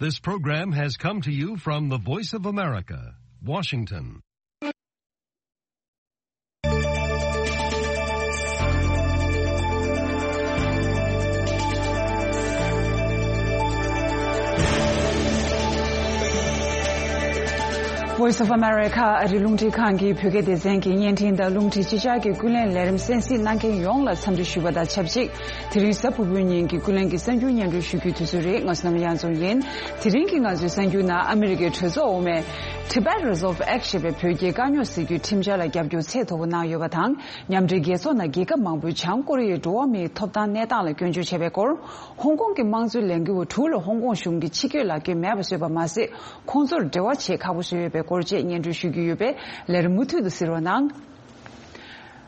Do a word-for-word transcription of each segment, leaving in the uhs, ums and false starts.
This program has come to you from the Voice of America, Washington. Voice of America ཨ་རི་རླུང་འཕྲིན་ཁང་གི་བོད་སྐད་སྡེ་ཚན་གྱི་བརྙན་འཕྲིན་དང་རླུང་འཕྲིན་ཕྱི་གསལ་གྱི་ཀུན་གླེང་ལས་རིམ་གསན་གཟིགས་གནང་མཁན་ཡོངས་ལ་འཚམས་འདྲི་ཞུ་བ་དང་ཆབས་ཅིག་དེ་རིང་གཟའ་ཕུར་བུའི་ཉིན་གྱི་ཀུན་གླེང་གི་གསར་འགྱུར་སྙན་སྒྲོན་ཞུ་རྒྱུའི་དུས་ཚོད་རེད། ང་བསོད་ནམས་དབྱངས་འཛོམས་ཡིན། དེ་རིང་གི་ང་ཚོའི་གསར་འགྱུར་ནང་ཨ་མི་རི་ཀའི་གྲོས་ཚོགས་འོག་མས་Tibet Resolve Act ཞེས་པའི་བོད་རྒྱའི་དཀའ་རྙོག་སེལ་རྒྱུའི་ཁྲིམས་འཆར་ལ་རྒྱབ་སྐྱོར་ཚད་མཐོ་པོ་གནང་ཡོད་པ་དང་། མཉམ་འབྲེལ་རྒྱལ་ཚོགས་ནང་རྒྱལ་ཁབ་མང་པོས་བྱང་ཀོ་རི་ཡའི་འགྲོ་བ་མིའི་ཐོབ་ཐང་གནས་སྟངས་ལ་སྐྱོན་བརྗོད་བྱས་པའི་སྐོར། ཧོང་ཀོང་གི་དམངས་གཙོའི་ལས་འགུལ་བ་དྲུག་ལ་ཧོང་ཀོང་གཞུང་གིས་ཕྱི་སྐྱོད་ལག་འཁྱེར་མེད་པ་བཟོས་པ་མ་ཟད། ཁོང་ཚོར་འབྲེལ་བ་བྱེད་ཁག་པོ་བཟོས་ཡོད་པའི་སྐོར་བཅས་སྙན་སྒྲོན་ཞུ་རྒྱུ་ཡོད་པས། ལས་རིམ་མུ་མཐུད་དུ་གཟིགས་རོགས་གནང་།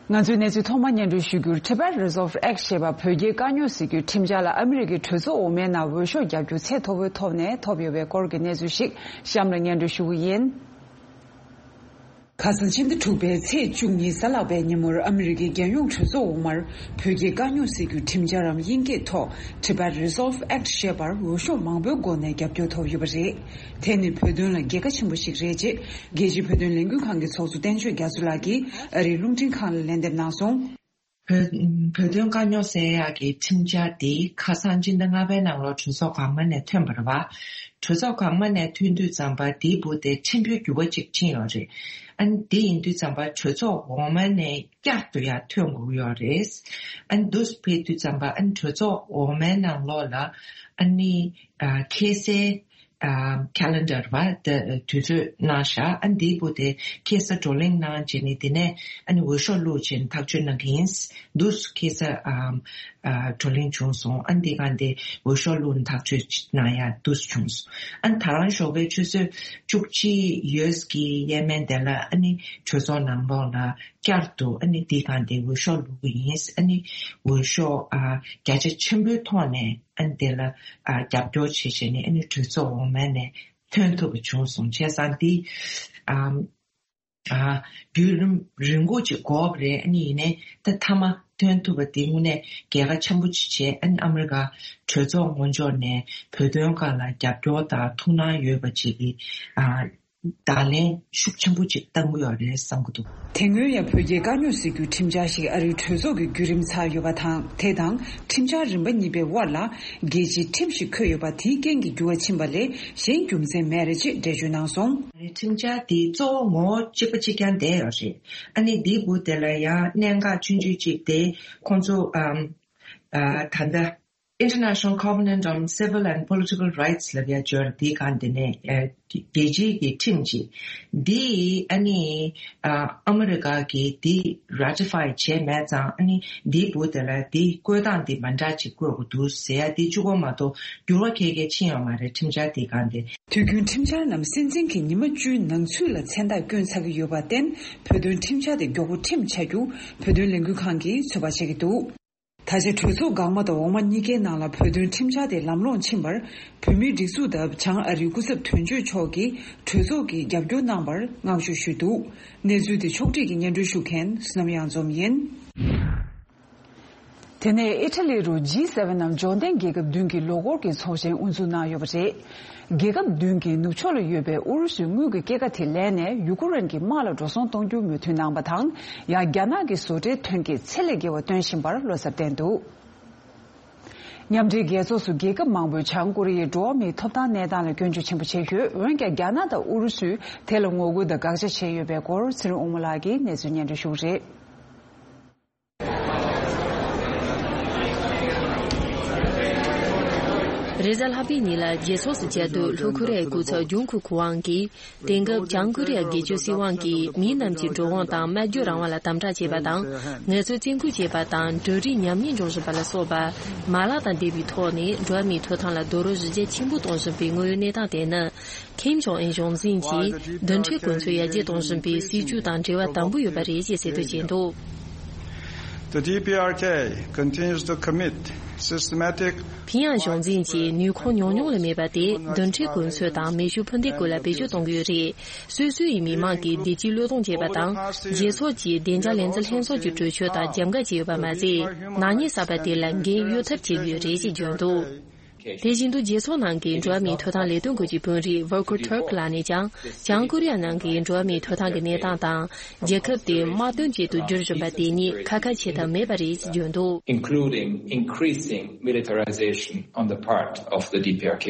ང་ཚོའི་གནས་ཚུལ་ཐོག་མར་སྙན་སྒྲོན་ཞུ་རྒྱུར། Tibet Resolve Act ཞེས་པ་བོད་རྒྱའི་དཀའ་རྙོག་སེལ་རྒྱུའི་ཁྲིམས་འཆར་ལ་ཨ་མི་རི་ཀའི་གྲོས་ཚོགས་འོག་མའི་ནང་འོས་ཤོག་རྒྱབ་སྐྱོར་ཚད་མཐོ་པོའི་ཐོག་ནས་ཐོབ་ཡོད་པའི་སྐོར་གྱི་གནས་ཚུལ་ཞིག་གཤམ་ལ་སྙན་སྒྲོན་ཞུ་གི་ཡིན། ཁ་སང་ཕྱི་ཟླ་དྲུག་པའི་ཚེས་བཅུ་གཉིས་གཟའ་ལྷག་པའི་ཉིན་མོར་ཨ་མི་རི་ཀའི་རྒྱལ་ཡོངས་གྲོས་ཚོགས་འོག་མར་བོད་རྒྱའི་དཀའ་རྙོག་སེལ་རྒྱུའི་ཁྲིམས་འཆར་རམ་དབྱིན་སྐད་ཐོག་Tibet Resolve Act ཞེས་པར་འོས་ཤོག་མང་པོའི་སྒོ་ནས་རྒྱབ་སྐྱོར་ཐོབ་ཡོད་པ་རེད། དེ་ནི་བོད་དོན་ལ་རྒྱལ་ཁ་ཆེན་པོ་ཞིག་རེད་ཅེས་རྒྱལ་སྤྱིའི་བོད་དོན་ལས་འགུལ་ཁང་གི་ཚོགས་གཙོ་བསྟན་ཆོས་རྒྱ་མཚོ་ལགས་ཀྱིས་ཨ་རིའི་རླུང་འཕྲིན་ཁང་ལ་ལན་འདེབས་གནང་སོང་། བོད་བོད་དོན་དཀའ་རྙོག་སེལ་ཡག་གི་ཁྲིམས་འཆར་འདི་ཁ་སང་སྤྱི་ཟླ་ལྔ་པའི་ནང་ལོགས་གྲོས་ཚོགས་གོང་མ་ནས་ཐོན་པ་རེད་བ། གྲོས་ཚོགས་གོང་མ་ནས་ཐོན་དུས་ཙམ་པ་འདིའི་སྦུག་དེ་ཕྲན་བུ་འགྱུར་བ་ཅིག་ཕྱིན་ཡོད་རེད། ཨ་ནི་འདི་ཡིན་དུས་ཙམ་པ་གྲོས་ཚོགས་འོག་མ་ནས་བསྐྱར་དུ་ཡང་ཐོན་དགོས་ཡོད་རེད། ཨ་ནི་འདུག་སེ་ཕེབས་དུས་ཙམ་པ་ཨ་ནི་གྲོས་ཚོགས་འོག་མའི་ནང་ལོགས་ལ་ཨ་ནི་ཨ་ཁ་སའི་ཨ་calendar བ་དེ་དུས་ཚོད་གནང་ཤག་ཨ་འདིའི་སྦུག་དེ་ཁ་ས་བགྲོ་གླེང་གནང་བྱས་ནས་དེ་ནས་ཨ་ནི་འོས་ཤོག་བླུགས་བྱས་ནས་ཐག་གཅོད་གནང་གི་ཡིན། འདུག་སེ་ཁ་ས་ཨ་ཨ་བགྲོ་གླེང་བྱུང་སོང་། ཨ་འདི་ག་འདི་འོས་ཤོག་བླུགས་ནས་ཐག་གཅོད་གནང་ཡ་འདུག་སེ་བྱུང་སོང་། ཨ་ནི་ད་རང་ཞོགས་པའི་ཆུ་ཚོད་བཅུ་གཅིག་ཡོལ་གྱི་ཡས་མས་དེ་ལ་ཨ་ནི་གྲོས་ཚོགས་ནང་ལོགས་ལ་བསྐྱར་དུ་ཨ་ནི་འདི་ག་འདི་འོས་ཤོག་བླུགས་གི་ཡིན། ཨ་ནི་འོས་ཤོག་ཨ་བརྒྱ་ཆ་ཆེན་པོའི་ཐོག་ནས། ཨ་ནི་དེ་ལ་ཨ་རྒྱབ་སྐྱོར་བྱེད་བྱས་ནས་ཨ་ནི་གྲོས་ཚོགས་འོག་མ་ནས་ཐོན་ཐུབ་པ་བྱུང་སོང་། བྱས་ཙང་འདི་ཨ་ཨ་བརྒྱུད་རིམ་རིང་པོ་ཅིག་འགོར་བ་རེད། ཨ་ནི་ཡིན་ནའི་ད་མཐའ་མ་ཐོན་ཐུབ་པ་འདི་དངོས་གནས་རྒྱལ་ཁ་ཆེན་པོ་ཅིག་བྱས། ཨ་ནི་ཨ་མི་རི་ཀ་གྲོས་ཚོགས་ངོས་ཕྱོགས་ནས་བོད་དོན་སྒང་ལ་རྒྱབ་སྐྱོར་དང་ཐུགས་སྣང་ཡོད་པ་ཅིག་གི་ཨ་བརྡ་ལན་ཤུགས་ཆེན་པོ་ཅིག་བཏང་གི་ཡོད་རེད་བསམ་གྱི་འདུག་དེ་སྔོན་ཡང་བོད་རྒྱའི་དཀའ་རྙོག་སེལ་རྒྱུའི་ཁྲིམས་འཆར་ཞིག་ཨ་རིའི་གྲོས་ཚོགས་ཀྱི་བརྒྱུད་རིམ་ཚར་ཡོད་པ་དང་། དེ་དང་ཁྲིམས་འཆར་རིམ་པ་གཉིས་པའི་དབར་ལ་རྒྱལ་སྤྱིའི་ཁྲིམས་ཤིག་འཁོད་ཡོད་པ་དེའི་རྐྱེན་གྱིས་འགྱུར་བ་ཕྱིན་པ་ལས་གཞན་རྒྱུ་མཚན་མེད་རེད་ཅེས་འགྲེལ་བརྗོད་གནང་སོང་། ཁྲིམས་འཆར་དེའི་གཙོ་བོ་ངོ་བོ་གཅིག་པ་གཅིག་རྐྱང་བསྡད་ཡོད་རེད། ཨ་ནི་འདིའི་སྦུག་དེ་ལ་ཡང་གནད་འགག་ཆུང་ཆུང་གཅིག་དེ་ཁོང་ཚོ་ཨམ་ཨ་ད་ལྟ། International Covenant on Civil and Political Rights ལབ་ཡ་སྦྱོར་འདི་གང་དེ་ནས་ཨ་རྒྱལ་སྤྱིའི་གི་ཁྲིམས་ཅིག་འདི་ཨ་ནི་ཨ་ཨ་མི་རི་ཀ་གིས་འདི་ratify བྱས་མེད་ཙང་། ཨ་ནི་འདིའི་སྦུག་དེ་ལ་འདི་བཀོད་སྟངས་འདི་མ་འདྲ་ཅིག་བཀོད་དགོས་འདུག་ཟེར་ཡ་འདི་གཅིག་པོ་མ་གཏོགས་འགྱུར་བ་གང་ཡང་ཕྱིན་ཡོད་མ་རེད། ཁྲིམས་འཆར་འདི་གང་དེ། དུས་རྒྱུན་ཁྲིམས་འཆར་རྣམས་སྲིད་འཛིན་གྱིས་ཉི་མ་བཅུའི་ནང་ཚུད་ལ་མཚན་རྟགས་བསྐྱོན་ཚར་གྱི་ཡོད་པར་བརྟེན། བོད་དོན་ཁྲིམས་འཆར་དེ་མགྱོགས་པོ་ཁྲིམས་ཆགས་རྒྱུ་བོད་དོན་ལས་འགུལ་ཁང་གིས་ཚོད་དཔག་བྱེད་ཀྱི་འདུག་ད་ཆ་གྲོས་ཚོགས་འགག་མ་དང་འོག་མ་གཉིས་ཀའི་ནང་ལ་བོད་དོན་ཁྲིམས་འཆར་དེ་ལམ་ལྷོང་ཕྱིན་པར། བོད་མིའི་སྒྲིག་འཛུགས་དང་བྱང་ཨ་རིའི་སྐུ་ཚབ་དོན་གཅོད་མཆོག་གིས་གྲོས་ཚོགས་ཀྱིས་རྒྱབ་སྐྱོར་གནང་བར་བསྔགས་བརྗོད་ཞུས་འདུག་གནས་ཚུལ་དེ་ཕྱོགས་སྒྲིག་གིས་སྙན་སྒྲོན་ཞུ་མཁན་བསོད་ནམས་དབྱངས་འཛོམས་ཡིན། དེ་ནས་ཨི་ཊ་ལི་རུ་ཇི་སེ་ཝེན་ནམ་འབྱོར་ལྡན་རྒྱལ་ཁབ་བདུན་གྱི་ལོ་འཁོར་གྱི་ཚོགས་ཆེན་དབུ་འཛུགས་གནང་ཡོད་པ་རེད། རྒྱལ་ཁབ་བདུན་གྱི་ནུབ་ཕྱོགས་ལ་ཡོད་པའི་ཨུ་རུ་སུའི་དངུལ་གྱི་སྐྱེད་ཀ་དེ་ལེན་ནས་ཡུ་ཀེ་རེན་གྱི་དམག་ལ་འགྲོ་སོང་གཏོང་རྒྱུའི་མོས་མཐུན་གནང་བ་དང་། ཡང་རྒྱ་ནག་གི་བཟོ་གྲྭའི་ཐོན་སྐྱེད་ཚད་ལས་བརྒལ་བ་བཏོན་བཞིན་པར་བློ་འཚབ་བསྟན་འདུག་མཉམ་འབྲེལ་རྒྱལ་ཚོགས་སུ་རྒྱལ་ཁབ་མང་པོས་བྱང་ཀོ་རི་ཡའི་འགྲོ་བ་མིའི་ཐོབ་ཐང་གནས་སྟངས་ལ་སྐྱོན་བརྗོད་ཆེན་པོ་བྱས་ཡོད། འོན་ཀྱང་རྒྱ་ནག་དང་ཨུ་རུ་སུས་དེ་ལ་ངོ་རྒོལ་དང་དགག་བྱ་བྱས་ཡོད་པའི་སྐོར་ཚེ་རིང་དབང་མོ་ལགས་ཀྱིས་གནས་ཚུལ་སྙན་སྒྲོན་ཞུ་གི་རེད། རེས་གཟའ་ལྷག་པའི་ཉིན་ལ་རྒྱལ་ཚོགས་སུ་བཅར་དུས་ལྷོ་ཀོ་རི་ཡའི་སྐུ་ཚབ་ཇུང་ཁུ་ཁུ་ཝང་གིས། དེང་སྐབས་བྱང་ཀོ་རི་ཡ་སྒེར་གཅོད་སྲིད་དབང་གིས་མིའི་ནང་གི་འགྲོ་འོང་དང་སྨྲ་བརྗོད་རང་དབང་ལ་དམ་དྲག་བྱས་པ་དང་། ངལ་རྩོལ་བཙན་སྐུལ་བྱས་པ་དང་འབྲུ་རིགས་ཉམས་ཉེས་འགྲོ་བཞིན་པ་ལ་སོགས་པ་མ་ལག་དང་འབྲེལ་བའི་ཐོག་ནས་འགྲོ་བ་མིའི་ཐོབ་ཐང་ལ་རྡོག་རོལ་གཞི་རྒྱ་ཆེན་པོ་གཏོང་བཞིན་པའི་དངོས་ཡོད་གནས་སྟངས་དེ་ནི། ཁིམ་ཇོང་ཨུན་གཞུང་འཛིན་གྱིས་རྡུལ་ཕྲན་གོ་མཚོན་ཡར་རྒྱས་གཏོང་བཞིན་པའི་སྲིད་བྱུས་དང་འབྲེལ་བ་དམ་པོ་ཡོད་པ་རེད་ཅེས་གསལ་སྟོན་བྱས་འདུག The D P R K continues to commit systematic ཕིང་ཡང་གཞུང་འཛིན་གྱིས་ནུས་ཁུངས་ཉུང་ཉུང་ལས་མེད་པ་དེ་རྡུལ་ཕྲན་གོ་མཚོན་དང་མེ་ཤུགས་འཕུར་མདེལ་སྐོར་ལ་བེད་སྤྱོད་གཏོང་གི་ཡོད་རེད། སོ་སོ་ཡི་མི་མང་གིས་བདེ་སྐྱིད་བློས་གཏོང་བྱས་པ་དང་། རྒྱལ་ཚོགས་ཀྱི་བདེ་འཇགས་ལས་འཛིན་ལྷན་ཚོགས་ཀྱི་གྲོས་ཆོད་དང་རྒྱབ་འགལ་བྱས་ཡོད་པ་མ་ཟད། ནག་ཉེས་གསར་པ་དེ་ལ་འགན་གཡོལ་ཐབས་བྱེད་ཀྱི་ཡོད་རེད་ཅེས་བརྗོད་འདུག་དེ་བཞིན་དུ་རྒྱལ་ཚོགས་ནང་གི་འགྲོ་བ་མིའི་ཐོབ་ཐང་ལས་དོན་སྐོར་གྱི་དཔོན་རིགས་Volker Turk་ལགས་ནས་ཀྱང་། བྱང་ཀོ་རི་ཡ་ནང་གི་འགྲོ་བ་མིའི་ཐོབ་ཐང་གི་གནས་སྟངས་དང་། རྒྱལ་ཁབ་དེ་དམག་དོན་ཅན་དུ་འགྱུར་བཞིན་པ་དེ་གཉིས་ཁ་ཁ་བྱེད་ཐབས་མེད་པ་རེད་ཅེས་བརྗོད་འདུག། Including increasing militarization on the part of the D P R K.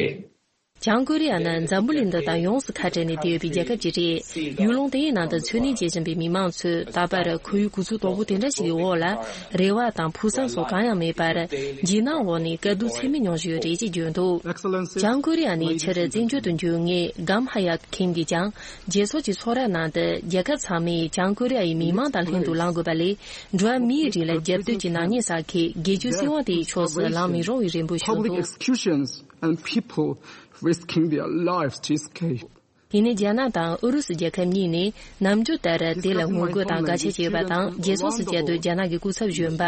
བྱང་ཀོ་རི་ཡ་ནི་འཛམ་བུ་གླིང་འདི་དང་ཡོངས་སུ་ཁ་བྲལ་ནས་བསྡད་ཡོད་པའི་རྒྱལ་ཁབ་ཅིག་རེད། ཡུལ་ལུང་དེའི་ནང་དུ་འཚོ་གནས་བྱེད་བཞིན་པའི་མི་མང་ཚོས་ད་བར་ཁོར་ཡུག་གོ་ཚུལ་དོག་པོ་དེ་འདྲ་ཞིག་གི་འོག་ལ། རེ་བ་དང་ཕུགས་བསམ་སོགས་གང་ཡང་མེད་པར། འཇིགས་སྣང་འོག་ནས་དཀའ་སྡུག་ཚད་མེད་མྱོང་བཞིན་ཡོད་རེད་ཅེས་བརྗོད་འདུག། Excellency, བྱང་ཀོ་རི་ཡ་ནས་ཕྱིར་བཙན་བྱོལ་དུ་འབྱོར་མཁན་གམ་ཧ་ཡ་ཁིམ་གྱིས་ཀྱང་། རྒྱལ་ཚོགས་ཀྱི་ཚོགས་ར་ནང་དུ་རྒྱལ་ཁབ་ཚང་མས་བྱང་ཀོ་རི་ཡ་ཡི་མི་མང་དང་ལྷན་དུ་ལངས་དགོས་པ་ལས། འགྲོ་བ་མིའི་རིགས་ལ་རྒྱབ་གཏོད་ཀྱི་ནག་ཉེས་བསགས་མཁན་རྒྱལ་སྤྱིའི་སྲིད་དབང་དེའི་ཕྱོགས་སུ་ལངས་མི་རུང་བའི་རེ་འབོད་ཞུས་འདུག། Executions and people risking their lives to escape. ཡིན་ནའི་རྒྱ་ནག་དང་ཨུ་རུ་སུ་རྒྱལ་ཁབ་གཉིས་ནས་ནམ་རྒྱུན་ལྟར་དེ་ལ་ངོ་རྒོལ་དང་དགག་བྱ་བྱས་པ་དང་། རྒྱལ་ཚོགས་སུ་བཅར་དུས་རྒྱ་ནག་གི་སྐུ་ཚབ་གཞོན་པ་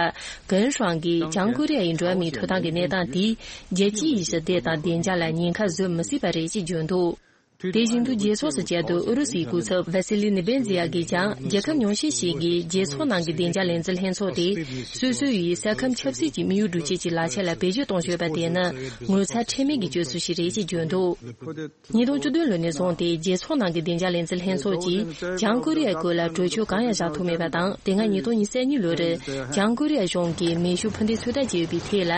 ཀན་ཧྲང་གིས་བྱང་ཀོ་རི་ཡ་ཡི་འགྲོ་བ་མིའི་ཐོབ་ཐང་གི་གནས་སྟངས་དེས་རྒྱལ་སྤྱིའི་ཞི་བདེ་དང་བདེ་འཇགས་ལ་ཉེན་ཁ་བཟོ་མི་སྲིད་པ་རེད་ཅེས་བརྗོད་འདུག། དེ་བཞིན་དུ་རྒྱལ་ཚོགས་སུ་བཅར་དུས་ཨུ་རུ་སུའི་སྐུ་ཚབ་ཝ་སི་ལི་ནེ་བེན་ཛི་ཡ་གིས་ཀྱང་། རྒྱལ་ཁབ་ཉུང་ཤས་ཤིག་གིས་རྒྱལ་ཚོགས་ནང་གི་བདེ་འཇགས་ལས་འཛིན་ལྷན་ཚོགས་དེ་སོ་སོ་ཡི་ས་ཁམས་ཆབ་སྲིད་ཀྱི་དམིགས་ཡུལ་སྒྲུབ་བྱེད་ཀྱི་ལག་ཆ་ལ་བེད་སྤྱོད་གཏོང་བཞིན་ཡོད་པ་དེ་ནི་ངོ་ཚ་ཁྲེལ་མེད་ཀྱི་སྤྱོད་ཚུལ་ཞིག་རེད་ཅེས་བརྗོད་འདུག། ཉིས་སྟོང་བཅུ་བདུན་ལོ་ནས་བཟུང་སྟེ་རྒྱལ་ཚོགས་ནང་གི་བདེ་འཇགས་ལས་འཛིན་ལྷན་ཚོགས་ཀྱིས་བྱང་ཀོ་རི་ཡའི་སྐོར་ལ་གྲོས་ཆོད་གང་ཡང་བཞག་ཐུབ་མེད་པ་དང་། དེ་སྔ་ཉིས་སྟོང་ཉེར་གཉིས་ལོར་བྱང་ཀོ་རི་ཡ་གཞུང་གིས་མེ་ཤུགས་འཕུར་མདེལ་ཚོད་ལྟ་བྱས་ཡོད་པའི་ཐད་ལ་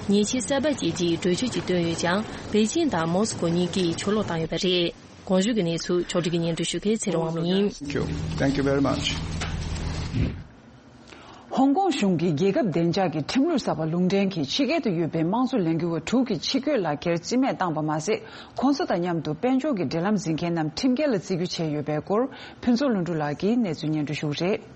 ཉེས་ཆད་གསར་པ་བཅད་རྗེས་གྲོས་ཆོད་ཅིག་བཏོན་ཡོད་ཀྱང་། པེ་ཅིང་དང་མོ་སི་ཀོ་གཉིས་ཀས་ཕྱིར་ལོག་བཏང་ཡོད་པ་རེད། གོང་ཞུས་ཀྱི་གནས་ཚུལ་ཕྱོགས་སྒྲིག་གིས་སྙན་སྒྲོན་ཞུ་མཁན་ཚེ་རིང་དབང་མོ་ཡིན། Thank you. Thank you very much. ཧོང་ཀོང་གཞུང་གིས་རྒྱལ་ཁབ་བདེ་འཇགས་ཀྱི་ཁྲིམས་ལུགས་གསར་པ་ལུང་འདྲེན་གྱིས་ཕྱི་རྒྱལ་དུ་ཡོད་པའི་དམངས་གཙོ་ལས་འགུལ་བ་དྲུག་གི་ཕྱི་སྐྱོད་ལག་འཁྱེར་རྩིས་མེད་བཏང་པ་མ་ཟད། ཁོང་ཚོ་དང་མཉམ་དུ་དཔལ་འབྱོར་གྱི་འབྲེལ་ལམ་འཛིན་མཁན་རྣམས་ཁྲིམས་འགལ་ལ་བརྩི་རྒྱུ་བྱས་ཡོད་པའི་སྐོར་ཕུན་ཚོགས་ལྷུན་གྲུབ་ལགས་ཀྱིས་གནས་ཚུལ་སྙན་སྒྲོན་ཞུ་གི་རེད།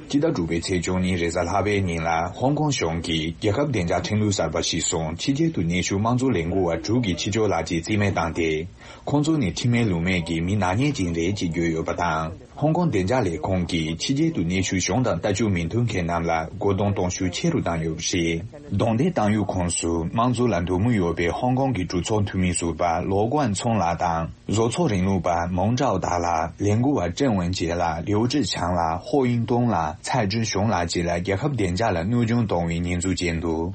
སྤྱི་ཟླ་དྲུག་པའི་ཚེས་བཅུ་གཉིས་རེས་གཟའ་ལྷག་པའི་ཉིན་ལ་ཧོང་ཀོང་གཞུང་གིས་རྒྱལ་ཁབ་བདེ་འཇགས་ཁྲིམས་ལུགས་གསར་པ་ཞིག་བཟུང་ཕྱི་རྒྱལ་དུ་གནས་བཞུགས་དམངས་གཙོ་ལས་འགུལ་བ་དྲུག་གི་ཕྱི་ཕྱོགས་ལག་འཁྱེར་རྩིས་མེད་བཏང་སྟེ། ཁོང་ཚོ་ནི་ཁྲིམས་མེད་ལུགས་མེད་ཀྱི་མི་ནག་ཉེས་ཅན་རེད་ཅེས་བརྗོད་ཡོད་པ་དང་། ཧོང་ཀོང་བདེ་འཇགས་ལས་ཁུངས་ཀྱིས་ཕྱི་རྒྱལ་དུ་གནས་བཞུགས་གཞུང་དང་ལྟ་སྤྱོད་མི་མཐུན་མཁན་རྣམས་ལ་རྒོལ་རྡུང་གཏོང་ཤུགས་ཆེ་རུ་བཏང་ཡོད་པ་རེད། རྡུང་རྡེག་བཏང་ཡུལ་ཁོངས་སུ་དམངས་གཙོ་ལ་འདོད་མོས་ཡོད་པའི་ཧོང་ཀོང་གི་གྲོས་ཚོགས་འཐུས་མི་ཟུར་པ་ལོ་ཀོན་ཚུང་ལགས་དང་། བཟོ་ཚོགས་རིང་ལུགས་པ་མོང་ཀྲའོ་ཏཱ་ལགས། ལས་འགུལ་བ་ཀྲེང་ཝུན་ཅེ་ལགས། ལིའུ་ཀྲི་ཆང་ལགས། ཧོ་དབྱིན་ཏུང་ལགས། ཚའེ་ཅུན་ཞུང་ལགས་བཅས་ལ་རྒྱལ་ཁབ་བདེ་འཇགས་ལ་གནོད་སྐྱོན་གཏོང་བའི་ཉེས་འཛུགས་བྱས་འདུག།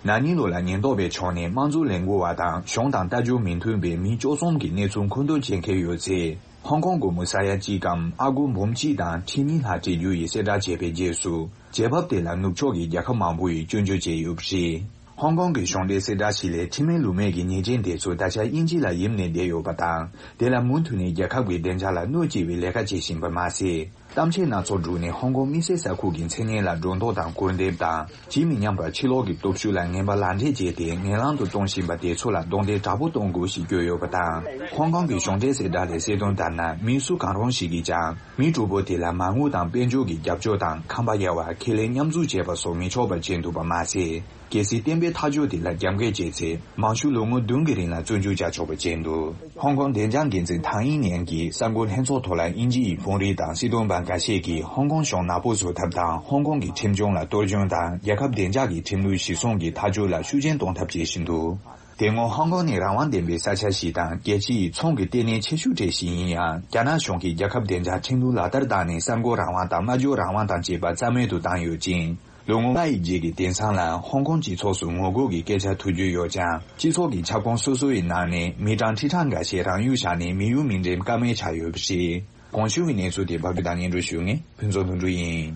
ན་ནིང་ལོ་ལ་ཉེན་རྟོག་པའི་ཕྱོགས་ནས་དམངས་གཙོ་ལས་འགུལ་བ་དང་གཞུང་དང་ལྟ་སྤྱོད་མི་མཐུན་པའི་མི་བཅུ་གསུམ་གྱི་གནས་ཚུལ་མཁོ་འདོན་བྱེད་མཁན་ཡོད་ཚེ། ཧོང་ཀོང་སྒོར་མོ་ས་ཡ་གཅིག་གམ་ཨ་སྒོར་འབུམ་གཅིག་དང་ཁྲི་གཉིས་ལྷག་སྤྲད་རྒྱུ་ཡི་གསལ་བསྒྲགས་བྱས་པའི་རྗེས་སུ། རྗེས་བབ་དེ་ལ་ནུབ་ཕྱོགས་ཀྱི་རྒྱལ་ཁབ་མང་པོ་ཡིས་སྐྱོན་བརྗོད་བྱས་ཡོད་པ་རེད། ཧོང་ཀོང་གི་གཞུང་འབྲེལ་གསལ་བསྒྲགས་ཤིག་ལས། ཁྲིམས་མེད་ལུགས་མེད་ཀྱི་ཉེས་ཅན་དེ་ཚོ་ད་ཆ་དབྱིན་ཇི་ལ་ཡིབ་ནས་བསྡད་ཡོད་པ་དང་། དེ་ལ་མུ་མཐུད་ནས་རྒྱལ་ཁབ་ཀྱི་བདེ་འཇགས་ལ་གནོད་སྐྱེལ་བའི་ལས་ཀ་བྱེད་བཞིན་པ་མ་ཟད། གཏམ་འཆལ་སྣ་ཚོགས་བསྒྲུགས་ནས་ཧོང་ཀོང་དམིགས་བསལ་ས་ཁུལ་གྱི་མཚན་སྙན་ལ་སྒྲོ་འདོགས་དང་སྐུར་འདེབས་དང་། ཇི་མི་སྙམ་པར་ཕྱི་ལོགས་ཀྱི་སྟོབས་ཤུགས་ལ་ངན་པ་ལག་འབྲེལ་བྱས་ཏེ་ངན་ལམ་དུ་གཏོང་བཞིན་པ་དེ་ཚོ་ལ་རྡུང་རྡེག་དྲག་པོ་གཏོང་དགོས་ཞེས་བཀོད་ཡོད་པ་དང་། ཧོང་ཀོང་གི་གཞུང་འབྲེལ་གསལ་བསྒྲགས་ལས་གསལ་སྟོན་ལྟར་ན། མི་སུ་གང་རུང་ཞིག་གིས་ཀྱང་མི་དྲུག་པོ་དེ་ལ་མ་དངུལ་དང་དཔལ་འབྱོར་གྱི་རྒྱབ་སྐྱོར་དང་ཁང་པ་གཡར་བ། ཁས་ལེན་མཉམ་འཛུགས་བྱས་པ་སོགས་མི་ཆོག་པ་བྱས་འདུག་པ་མ་ཟད། གལ་སྲིད་བསྟན་པའི་ཐག་གཅོད་དེ་ལ་རྒྱབ་འགལ་བྱས་ཚེ། མང་ཤོས་ལོ་ངོ་བདུན་གྱི་རིང་ལ་བཙོན་འཇུག་བྱ་ཆོག་པ་བྱས་འདུག། ཧོང་ཀོང་བདེ་འཇགས་འགན་འཛིན་ཐང་དབྱིང་ནན་གྱིས་གསར་འགོད་ལྷན་ཚོགས་ཐོག་ལ་དབྱིན་ཇི་ཡི་དཔོན་རིགས་དང་སྲིད་དོན་པ་འགའ་ཤས་ཀྱིས་ཧོང་ཀོང་གཞུང་ནག་པོ་བཟོ་ཐབས་དང་། ཧོང་ཀོང་གི་ཁྲིམས་སྐྱོང་ལ་གཏོར་སྐྱོན་དང་། རྒྱལ་ཁབ་བདེ་འཇགས་ཀྱི་ཁྲིམས་ལུགས་གཞིར་བཟུང་གི་ཐག་གཅོད་ལ་ཤུགས་རྐྱེན་གཏོང་ཐབས་བྱེད་བཞིན་འདུག། དེ་སྔོན་ཧོང་ཀོང་ནི་རང་དབང་ལྡན་པའི་ས་ཆ་ཞིག་དང་། རྒྱལ་སྤྱི་ཡི་ཚོང་གི་ལྟེ་གནས་ཆེ་ཤོས་གྲས་ཤིག་ཡིན་ཡང་། རྒྱ་ནག་གཞུང་གིས་རྒྱལ་ཁབ་བདེ་འཇགས་ཁྲིམས་ལུགས་ལག་བསྟར་བཏང་ནས། གསར་འགོད་རང་དབང་དང་སྨྲ་བརྗོད་རང་དབང་དང་བཅས་པ་རྩ་མེད་དུ་བཏང་ཡོད་ཅིང་། ལོ་ངོ་ལྔ་ཡི་རྗེས་ཀྱི་དེང་སང་ལ་ཧོང་ཀོང་སྤྱི་ཚོགས་སུ་ངོ་རྒོལ་གྱི་སྐད་ཆ་ཐོས་རྒྱུ་ཡོད་ཀྱང་། སྤྱི་ཚོགས་ཀྱི་ཁྱབ་ཁོངས་སོ་སོ་ཡི་ནང་ནས་མི་གྲངས་ཁྲི་ཕྲག་འགའ་ཤས་རང་ཡུལ་བཞག་ནས་མི་ཡུལ་མི་འགྲིམ་ཀ་མེད་ཆགས་ཡོད་པ་རེད། གོང་ཞུས་པའི་གནས་ཚུལ་དེ་ཕབ་སྒྱུར་དང་སྙན་སྒྲོན་ཞུ་མཁན་ཕུན་ཚོགས་ལྷུན་གྲུབ་ཡིན།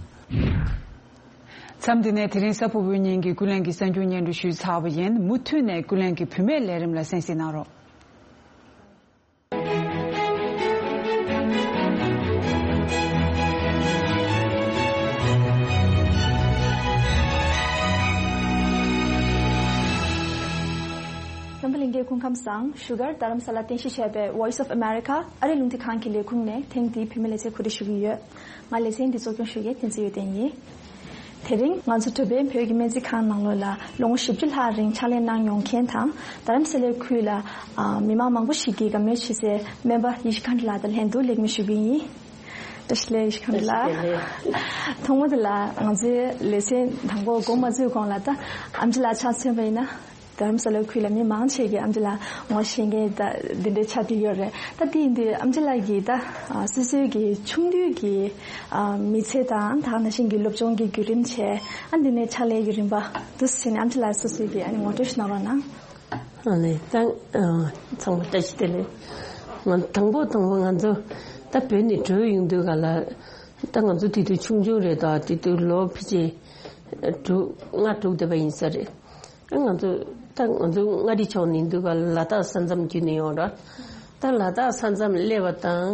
མཚམས་འདི་ནས་དེ་རིང་གཟའ་ཕུར་བུའི་ཉིན་གྱི་ཀུན་གླེང་གི་གསར་འགྱུར་སྙན་སྒྲོན་ཞུས་ཚར་བ་ཡིན། མུ་མཐུད་ནས་ཀུན་གླེང་གི་བུད་མེད་ལས་རིམ་ལ་གསན་གཟིགས་གནང་རོགས། རྣམ་པ་ལྷན་རྒྱས་སྐུ་ཁམས་བཟང་། བཞུགས་སྒར་རྡ་རམ་ས་ལར་རྟེན་གཞི་བྱས་པའི་Voice of America ཨ་རིའི་རླུང་འཕྲིན་ཁང་གི་ལས་ཁུངས་ནས་ཐེངས་འདིའི་བུད་མེད་ལེ་ཚན་གོ་སྒྲིག་ཞུ་གི་ཡོད། ང་ལེ་ཚན་འདི་གཙོ་སྐྱོང་ཞུ་མཁན་བསྟན་འཛིན་ཡོན་ཏན་ཡིན། དེ་རིང་ང་ཚོ་འགྲོ་ཕན་བོད་ཀྱི་སྨན་རྩིས་ཁང་ནང་ལོགས་ལ་ལོ་ངོ་བཞི་བཅུ་ལྷག་རིང་ཕྱག་ལས་གནང་མྱོང་མཁན་དང་། རྡ་རམ་ས་ལའི་ཁུལ་ལ་ཨ་མི་མང་མང་པོ་ཞིག་གིས་དགའ་མོས་བྱེད་སའི་སྨན་པ་ཡེ་ཤེས་མཁའ་འགྲོ་ལགས་དང་ལྷན་དུ་ལེགས་སྨོན་ཞུ་གི་ཡིན། བཀྲ་ཤིས་བདེ་ལེགས་ཡེ་ཤེས་མཁའ་འགྲོ་ལགས། ཐོག་མ་དེ་ལ་ང་ཚོའི་ལེ་ཚན་དང་པོ་འགོ་མ་བཙུགས་གོང་ལ་ད་ཨེམ་ཆི་ལགས་ཆ་མཚོན་པ་ཡིན་ན། རྡ་རམ་ས་ལའི་ཁུལ་ལ་མི་མང་ཆེ་གིས་ཨེམ་ཆི་ལགས་ངོ་ཤེས་མཁན་ད་འདི་འདྲའི་ཆགས་བསྡད་ཡོད་རེད། ད་དེ་ཡིན་དུས་ཨེམ་ཆི་ལགས་ཀྱིས་ད་ཨ་སོ་སོའི་གི་ཆུང་དུས་ཀྱི་ཨ་མི་ཚེ་དང་ད་ག་ནང་བཞིན་གྱི་སློབ་སྦྱོང་གི་བརྒྱུད་རིམ་བྱས། ཨ་འདི་ནས་ཕྱག་ལས་ཀྱི་རིམ་པ་འདུག་སེ་བྱས་ནས་ཨེམ་ཆི་ལགས་སོ་སོའི་གི་ཨ་ནི་ངོ་སྤྲོད་ཞིག་གནང་རོགས་གནང་། ཨ་ནི་ད་ཨ་ཚང་མ་བཀྲ་ཤིས་བདེ་ལེགས། ང་དང་པོ་དང་པོ་ང་ཚོ་ད་བོད་ནས་བྲོས་ཡོང་དུས་ག་ལ། ད་ང་ཚོ་དེ་དུས་ཆུང་ཆུང་རེད། ད་དེ་དུས་ལོ་ཕལ་ཆེར་དྲུག་ལྔ་དྲུག་བསྡད་པ་ཡིན་ས་རེད། ང་ཚོ་ད་ང་ཚོ་མངའ་རིས་ཕྱོགས་ནས་འདུག་ག་ལ་དྭགས་ས་མཚམས་བརྒྱུད་ནས་ཡོང་ར། ད་ལ་དྭགས་ས་མཚམས་སླེབས་པ་དང་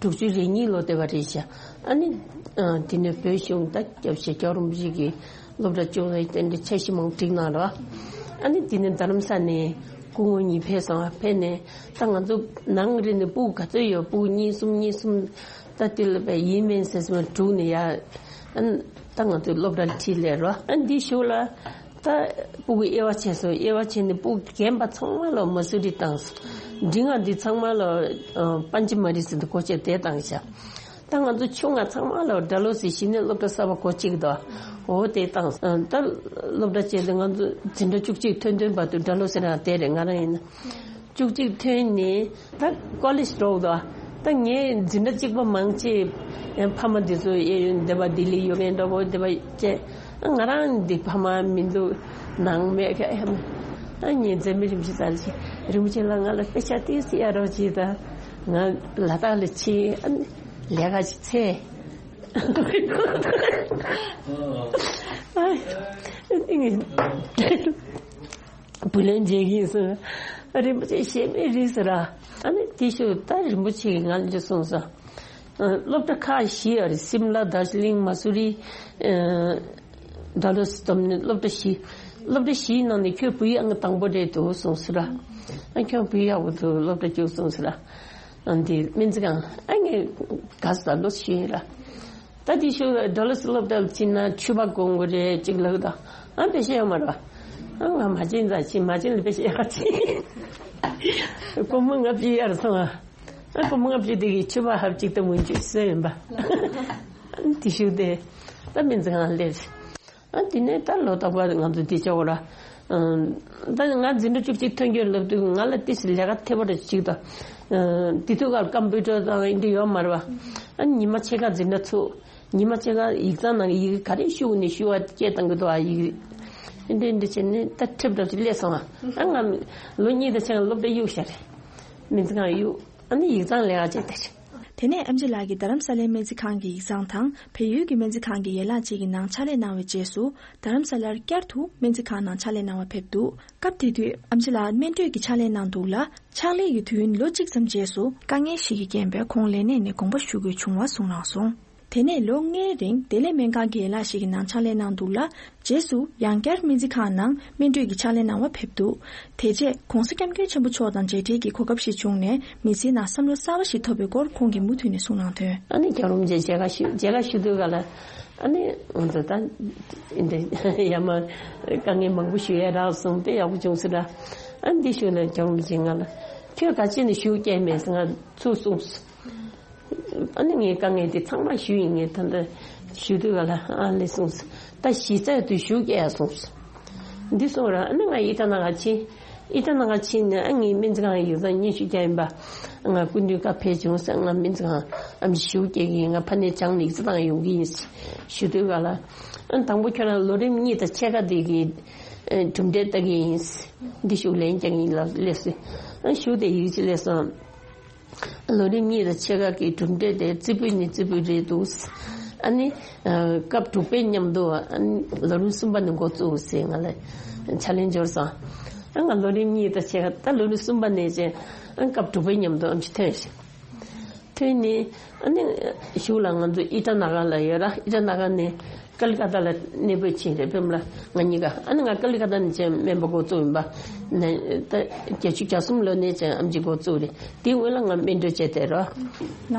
དྲུག་ཅུ་རེ་གཉིས་ལོ་བསྡད་པ་རེད་ཤག་ཨ་ནི་ཨ་དེ་ནས་བོད་གཞུང་ད་སྐྱབས་རྗེ་རྒྱལ་བ་རིན་པོ་ཆེ་གིས་སློབ་གྲྭ་སྐྱོང་བའི་རྟེན་འབྲེལ་འཆར་གཞི་མང་པོ་བསྒྲིགས་གནང་ར། ཨ་ནི་དེ་ནས་རྡ་རམ་ས་ནས་སྐུ་ངོ་གཉིས་ཕེབས་སོང་བ། ཕེབས་ནས་ད་ང་ཚོ་ནང་རེ་ནས་སྤུ་གུ་ག་ཚོད་ཡོད། སྤུ་གུ་གཉིས་གསུམ་གཉིས་གསུམ། ད་དེ་ལ་བས་ཡིན་མིན་ཟེར་སོང་དྲུག་ནས་ཡ། ཨ་ནི་ད་ང་ཚོའི་སློབ་གྲྭར་ཁྲིད་སླེབས་རོ། ཨ་འདི་གཞུག་ལ་ད་སྤུ་གུ་དབྱེ་བ་ཕྱེས་སོང་། དབྱེ་བ་ཕྱེས་ནས་སྤུ་གུ་རྒན་པ་ཚང་མ་ལ་མ་སུ་རི་བཏང་སོང་། འབྲིང་བ་འདི་ཚང་མ་ལ་ཨ་པན་ཅི་མ་རི་ཟེར་དུ་སྒོ་ཕྱེ་དེ་བཏང་ཤག་ད་ང་ཚོ་ཆུང་བ་ཚང་མ་ལ་ཌལ་ཧོ་སི་གཞི་ནས་སློབ་གྲྭ་གསར་པ་སྒོ་གཅིག་དང་འོ་དེ་བཏང་སོང་། ད་སློབ་གྲྭ་བྱས་ཏེ་ང་ཚོ་འཛིན་གྲྭ་བཅུ་གཅིག་ཐོན་ཐོན་བར་དུ་ཌལ་ཧོ་སི་རང་དེ་རེད། ང་རང་ཡིན་ན། བཅུ་གཅིག་ཐོན་ནས་ད་ཀོ་ལེཇ་འགྲོ་འདུག་ད་ངའི་འཛིན་གྲྭ་གཅིག་པ་མང་ཆེ་ཕ་མ་འདི་ཚོ་ཡེ་ཡོད་འདི་པ་ལྡི་ལི་ཡོད་མཁན་འདྲ་པོ་འདི་པ་བཅས། ང་རང་འདི་ཕ་མ་མི་འདུག་ནང་མེད་ཀ་ཨ་ངའི་མཛད་མི་རིན་པོ་ཆེ་ཙར་ཅིག་རིན་པོ་ཆེ་ལ་ང་ལ་དཔེ་ཆ་ཏིས་ཡ་རོགས་གྱིས། ད་ང་ལ་དྭགས་ལ་ཕྱིན་ཨ་ནི་ལས་ཀ་ཅིག་འཚོལ། བུ་ལོན་འཇལ་གྱིན་སོང་། རིན་པོ་ཆེ་ཞེ་མེད་རིགས་སུ་ར། ཨ་ནི་དེ་ཤུ་ད་རིན་པོ་ཆེ་གིས་ང་ལ་འདི་གསུངས་སོང་། སློབ་གྲྭ་ཁག་བཞི་ཡོད་རེད། སིམ་ལ། དར་ཇི་ལིང་། མ་སུ་རི། ཌལ་ཧོ་སི་བསྡོམས་ནས་སློབ་གྲྭ་བཞི། སློབ་གྲྭ་བཞིའི་ནང་ནས་ཁྱོད་བུ་ཡག་ང་དང་པོ་རེད་འདུག་གསུངས་སོང་ར། ཨ་ཁྱོད་བུ་ཡག་པོ་འདུག་སློབ་གྲྭ་བཅུག་གསུངས་སོང་ར། ཨ་འདི་སྨན་རྩིས་ཁང་ཨ་ངས་དགའ་ས་ལོ་ཞུ་ཡིན་ར། ད་དེ་ཤུ་ཌལ་ཧོ་སི་སློབ་གྲྭ་ལ་ཕྱིན་ན་ཕྱུ་པ་གོན་དགོས་རེད་ཅིག་ལབ་ད། ཨ་དཔེ་ཤེས་ཡོད་མ་རེད་པ། ཨ་ང་མ་བྱན་ཙང་ཕྱིན། མ་བྱན་ལ་དཔེ་ཤེས་ཡག་ཕྱིན། སྒོར་མོ་ལྔ་བཅུ་གཡར་སོང་ཨ། ཨ་སྒོར་མོ་ལྔ་བཅུ་དེ་གིས་ཕྱུ་པ་ཧབ་ཅིག་ད་མུན་ཅུ་བཟོས་ཡིན་པ། ཨ་དེ་ཤུ་དེ་ད་སྨན་རྩིས་ཁང་སླེབས། ཨ་དེ་ནས་ད་ལོ་རྟག་པར་ང་ཚོ་དེ་ཆོག་ར། ད་ང་འཛིན་གྲྭ་བཅུ་གཅིག་ཐོན་རྒྱུར་ལབ་དུས་ང་ལ་ཏིས་ལས་ཀ་ཐེབས་པ་རེ་ཅིག་ད། དེ་དུས་ཀར་ཀམ་པུ་ཊར་དང་ཨིན་དྲི་ཡོད་མ་རེད་པ། ཨ་ཉི་མ་ཕྱེད་ཀ་འཛིན་གྲྭ་ཚུགས། ཉི་མ་ཕྱེད་ཀ་ཡིག་ཚང་ནང་གི་ཡི་གེ་ག་རེ་ཤོག་ནས་ཤོག་བ་སྐད་བཏང་གི་འདུག་ཨ་ཡི་གེ་འདི་འདི་བྱས་ནས་ད་ཁྲིབ་འདྲ་ཞིག་སླེབས་སོང་ཨ། ཨ་ང་ལོ་གཉིས་དང་ཕྱེད་ཀ་སློབ་གྲྭ་གཡུགས་ཤག་རེད། སྨན་རྩིས་ཁང་གཡུགས། ཨ་ནི་ཡིག་ཚང་ལས་ཀ་བྱས་ཏེ། དེ་ནས་ཨེམ་ཆི་ལགས་ཀྱིས་རྡ་རམ་ས་ལའི་སྨན་རྩིས་ཁང་གི་ཡིག་ཚང་དང་བལ་ཡུལ་གྱི་སྨན་རྩིས་ཁང་གི་ཡན་ལག་ཅིག་གི་ནང་ཕྱག་ལས་གནང་བའི་རྗེས་སུ། རྡ་རམ་ས་ལར་བསྐྱར་དུ་སྨན་རྩིས་ཁང་ནང་ཕྱག་ལས་གནང་བར་ཕེབས་འདུག་སྐབས་དེ་དུས་ཨེམ་ཆི་ལགས་སྨན་སྤྲོད་ཀྱི་ཕྱག་ལས་གནང་འདུག་ལ། ཕྱག་ལས་ཀྱི་དུས་ཡུན་ལོ་གཅིག་ཙམ་རྗེས་སུ་དཀའ་ངལ་ཞིག་གིས་རྐྱེན་པས་ཁོང་ལས་གནས་ནས་དགོངས་པ་ཞུ་དགོས་བྱུང་བ་གསུངས་གནང་སོང་། དེ་ནས་ལོ་ལྔའི་རིང་བདེ་ལེགས་སྨན་ཁང་གི་ཡན་ལག་ཞིག་གི་ནང་ཕྱག་ལས་གནང་འདུག་ལ། རྗེས་སུ་ཡང་བསྐྱར་སྨན་རྩིས་ཁང་ནང་སྨན་སྤྲོད་ཀྱི་ཕྱག་ལས་གནང་བར་ཕེབས་འདུག་དེ་རྗེས་༸གོང་ས་༸སྐྱབས་མགོན་ཆེན་པོ་མཆོག་དང་མཇལ་འཕྲད་ཀྱི་གོ་སྐབས་ཤིག་བྱུང་ནས་མི་ཚེའི་ནང་བསམ་བློ་གསར་བ་ཞིག་ཐོབ་པའི་སྐོར་ཁོང་གིས་མུ་མཐུད་ནས་གསུངས་གནང་དོན། ཨ་ནི་རྒྱལ་བ་རིན་པོ་ཆེ་མཇལ་ཁ་ཞུ་མཇལ་ཁ་ཞུ་དུས་ག་ལ། ཨ་ནི་ང་ཚོ་ད་འདི་ཡ་མ་དཀའ་ངལ་མང་པོ་ཞུ་ཡ་རག་སོང་། དཔེ་ཡག་པོ་བྱུང་སོང་ར། ཨ་ནི་འདི་ཞུ་ན་རྒྱལ་བ་རིན་པོ་ཆེ་ང་ལ་ཁྱོད་ག་ཅི་ནས་ཞུ་སྐྱེལ་མེད་ཟེར་ང་ཚུར་གསུངས་སོང་། ཨ་ནི་ངའི་དཀའ་ངལ་དེ་ཚང་མ་ཞུས་ཡིན། ངས་ད་ལྟ་ཞུ་དུས་ག་ལ་ཨ་ལེ་གསུངས་སོང་། ད་གཞི་རྩའི་དུས་ཞུ་སྐྱེལ་ཡ་གསུངས་སོང་། འདི་གསུངས་ར། ཨ་ནི་ང་ཨི་ཊ་ན་ག་ཕྱིན། ཨི་ཊ་ན་ག་ཕྱིན་ནས་ཨ་ངའི་སྨན་རྩིས་ཁང་ཡིག་ཚང་སྙན་ཞུ་རྒྱག་ཡིན་པ། ང་སྐུ་མདུན་བཀའ་ཕེབས་བྱུང་ཟེར། ང་སྨན་རྩིས་ཁང་ཨ་མཆོག་ཞུ་སྐྱེལ་གི་ཡིན། ང་ཕ་ནས་བྱང་ནས་ཡིག་ཚང་བཏང་ཡོང་གི་ཡིན་ཞུ་དུས་ག་ལ། ཨ་དང་པོ་ཁྱོད་རང་ལོ་རིམ་གཉིས་དང་ཕྱེད་ཀ་དེ་གི་གྲུབ་འབྲས་ལྟ་གི་ཡིན། འདི་ཞུ་ལན་རྒྱག་གི་ཡིན་ལབ་སླེབས་སོང་། ཨ་ཞུ་དེ་ཡིག་ཅིག་སླེབས་སོང་། ལོ་རིམ་གཉིས་དང་ཕྱེད་ཀ་གི་གྲུབ་འབྲས་དེ་རྩེ་ཕུད་ནས་རྩེ་ཕུད་རེད་འདུག་ཨ་ནི་སྐབས་དྲུག་པའི་མཉམ་དུ་ཨ་ནི་ལོ་རིམ་གསུམ་པ་ནས་འགོ་བཙུགས་ཟེར་ང་ལ་ཕྱག་ལེན་འབྱོར་སོང་། ཨ་ང་ལོ་རིམ་གཉིས་དང་ཕྱེད་ཀ་ད་ལོ་རིམ་གསུམ་པ་ནས་ཅན་ཨ་སྐབས་དྲུག་པའི་མཉམ་དུ་ཨམ་ཆི་ཐོན་ཤག་ཐོན་ནས་ཨ་ནི་གཞུག་ལ་ང་ཚོ་ཨི་ཊ་ན་ག་ལ་ཡོད་ར། ཨི་ཊ་ན་ག་ནས་ཀ་ལི་ཀ་ཏ་ལ་གནས་སྤོས་ཕྱིན་རེད། ཕེབས་ལ་ང་གཉིས་ཀ་ཨ་ནི་ང་ཀ་ལི་ཀ་ཏ་ནས་ཅན་སྨན་པ་འགོ་བཙུགས་ཡིན་པ། ནས་ད་བརྒྱད་ཅུ་གྱ་གསུམ་ལོ་ནས་ཅན་ཨམ་ཆི་འགོ་བཙུགས་རེད། དེའི་སྔོན་ལ་ང་སྨན་སྤྲོད་བྱས་ཏེ་རོ། ན།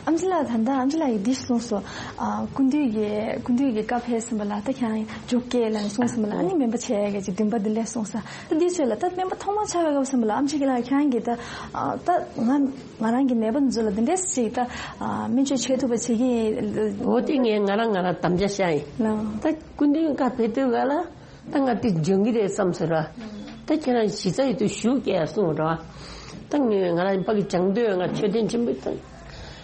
ཨམ་ཆི་ལགས་ད་ལྟ་ཨམ་ཆི་ལགས་ཀྱིས་འདི་གསུངས་སོང་། ཨ་སྐུ་མདུན་གྱི་སྐུ་མདུན་གྱི་བཀའ་ཕེབས་ཟིན་པ་ལ་ད་ཁྱེད་རང་མཇུག་སྐྱེལ་ལ་གསུངས་ཟིན་པ་ལ་ཨ་ནི་སྨན་པ་བྱས་ཡ་གི་འདུན་པ་འདི་ལས་གསུངས་ས། ད་འདི་ཚོས་ལ་ད་སྨན་པ་ཐོག་མ་ཆགས་པའི་སྐབས་ཟིན་པ་ལ་ཨམ་ཆི་ལགས་ཁྱེད་རང་གིས་ད་ཨ་ད་ང་ང་རང་གི་ནད་པ་འདི་ཚོ་ལ་འདི་འདྲས་ཞིག་ད་ཨ་སྨན་བཅོས་བྱེད་ཐུབ་པ་བྱེད་ཀྱི་ཡིན། འོ་དེ་ངས་ང་རང་ང་རང་དམ་བཅའ་བཞག་ཡིན། ལགས། ད་སྐུ་མདུན་བཀའ་ཕེབས་དུས་ག་ལ་ད་ང་དེ་འཇོན་གྱི་རེད་བསམ་སོང་ར། ད་ ད་ཁྱེད་རང་གཞི་རྩ་ཡོད་དུ་ཞུ་སྐྱེལ་གསུངས་རོགས། ད་ངས་ང་རང་ཕ་གི་སྦྱང་འདོད་ང་ཆོས་ལྡན་ཆེན་པོའི་ད་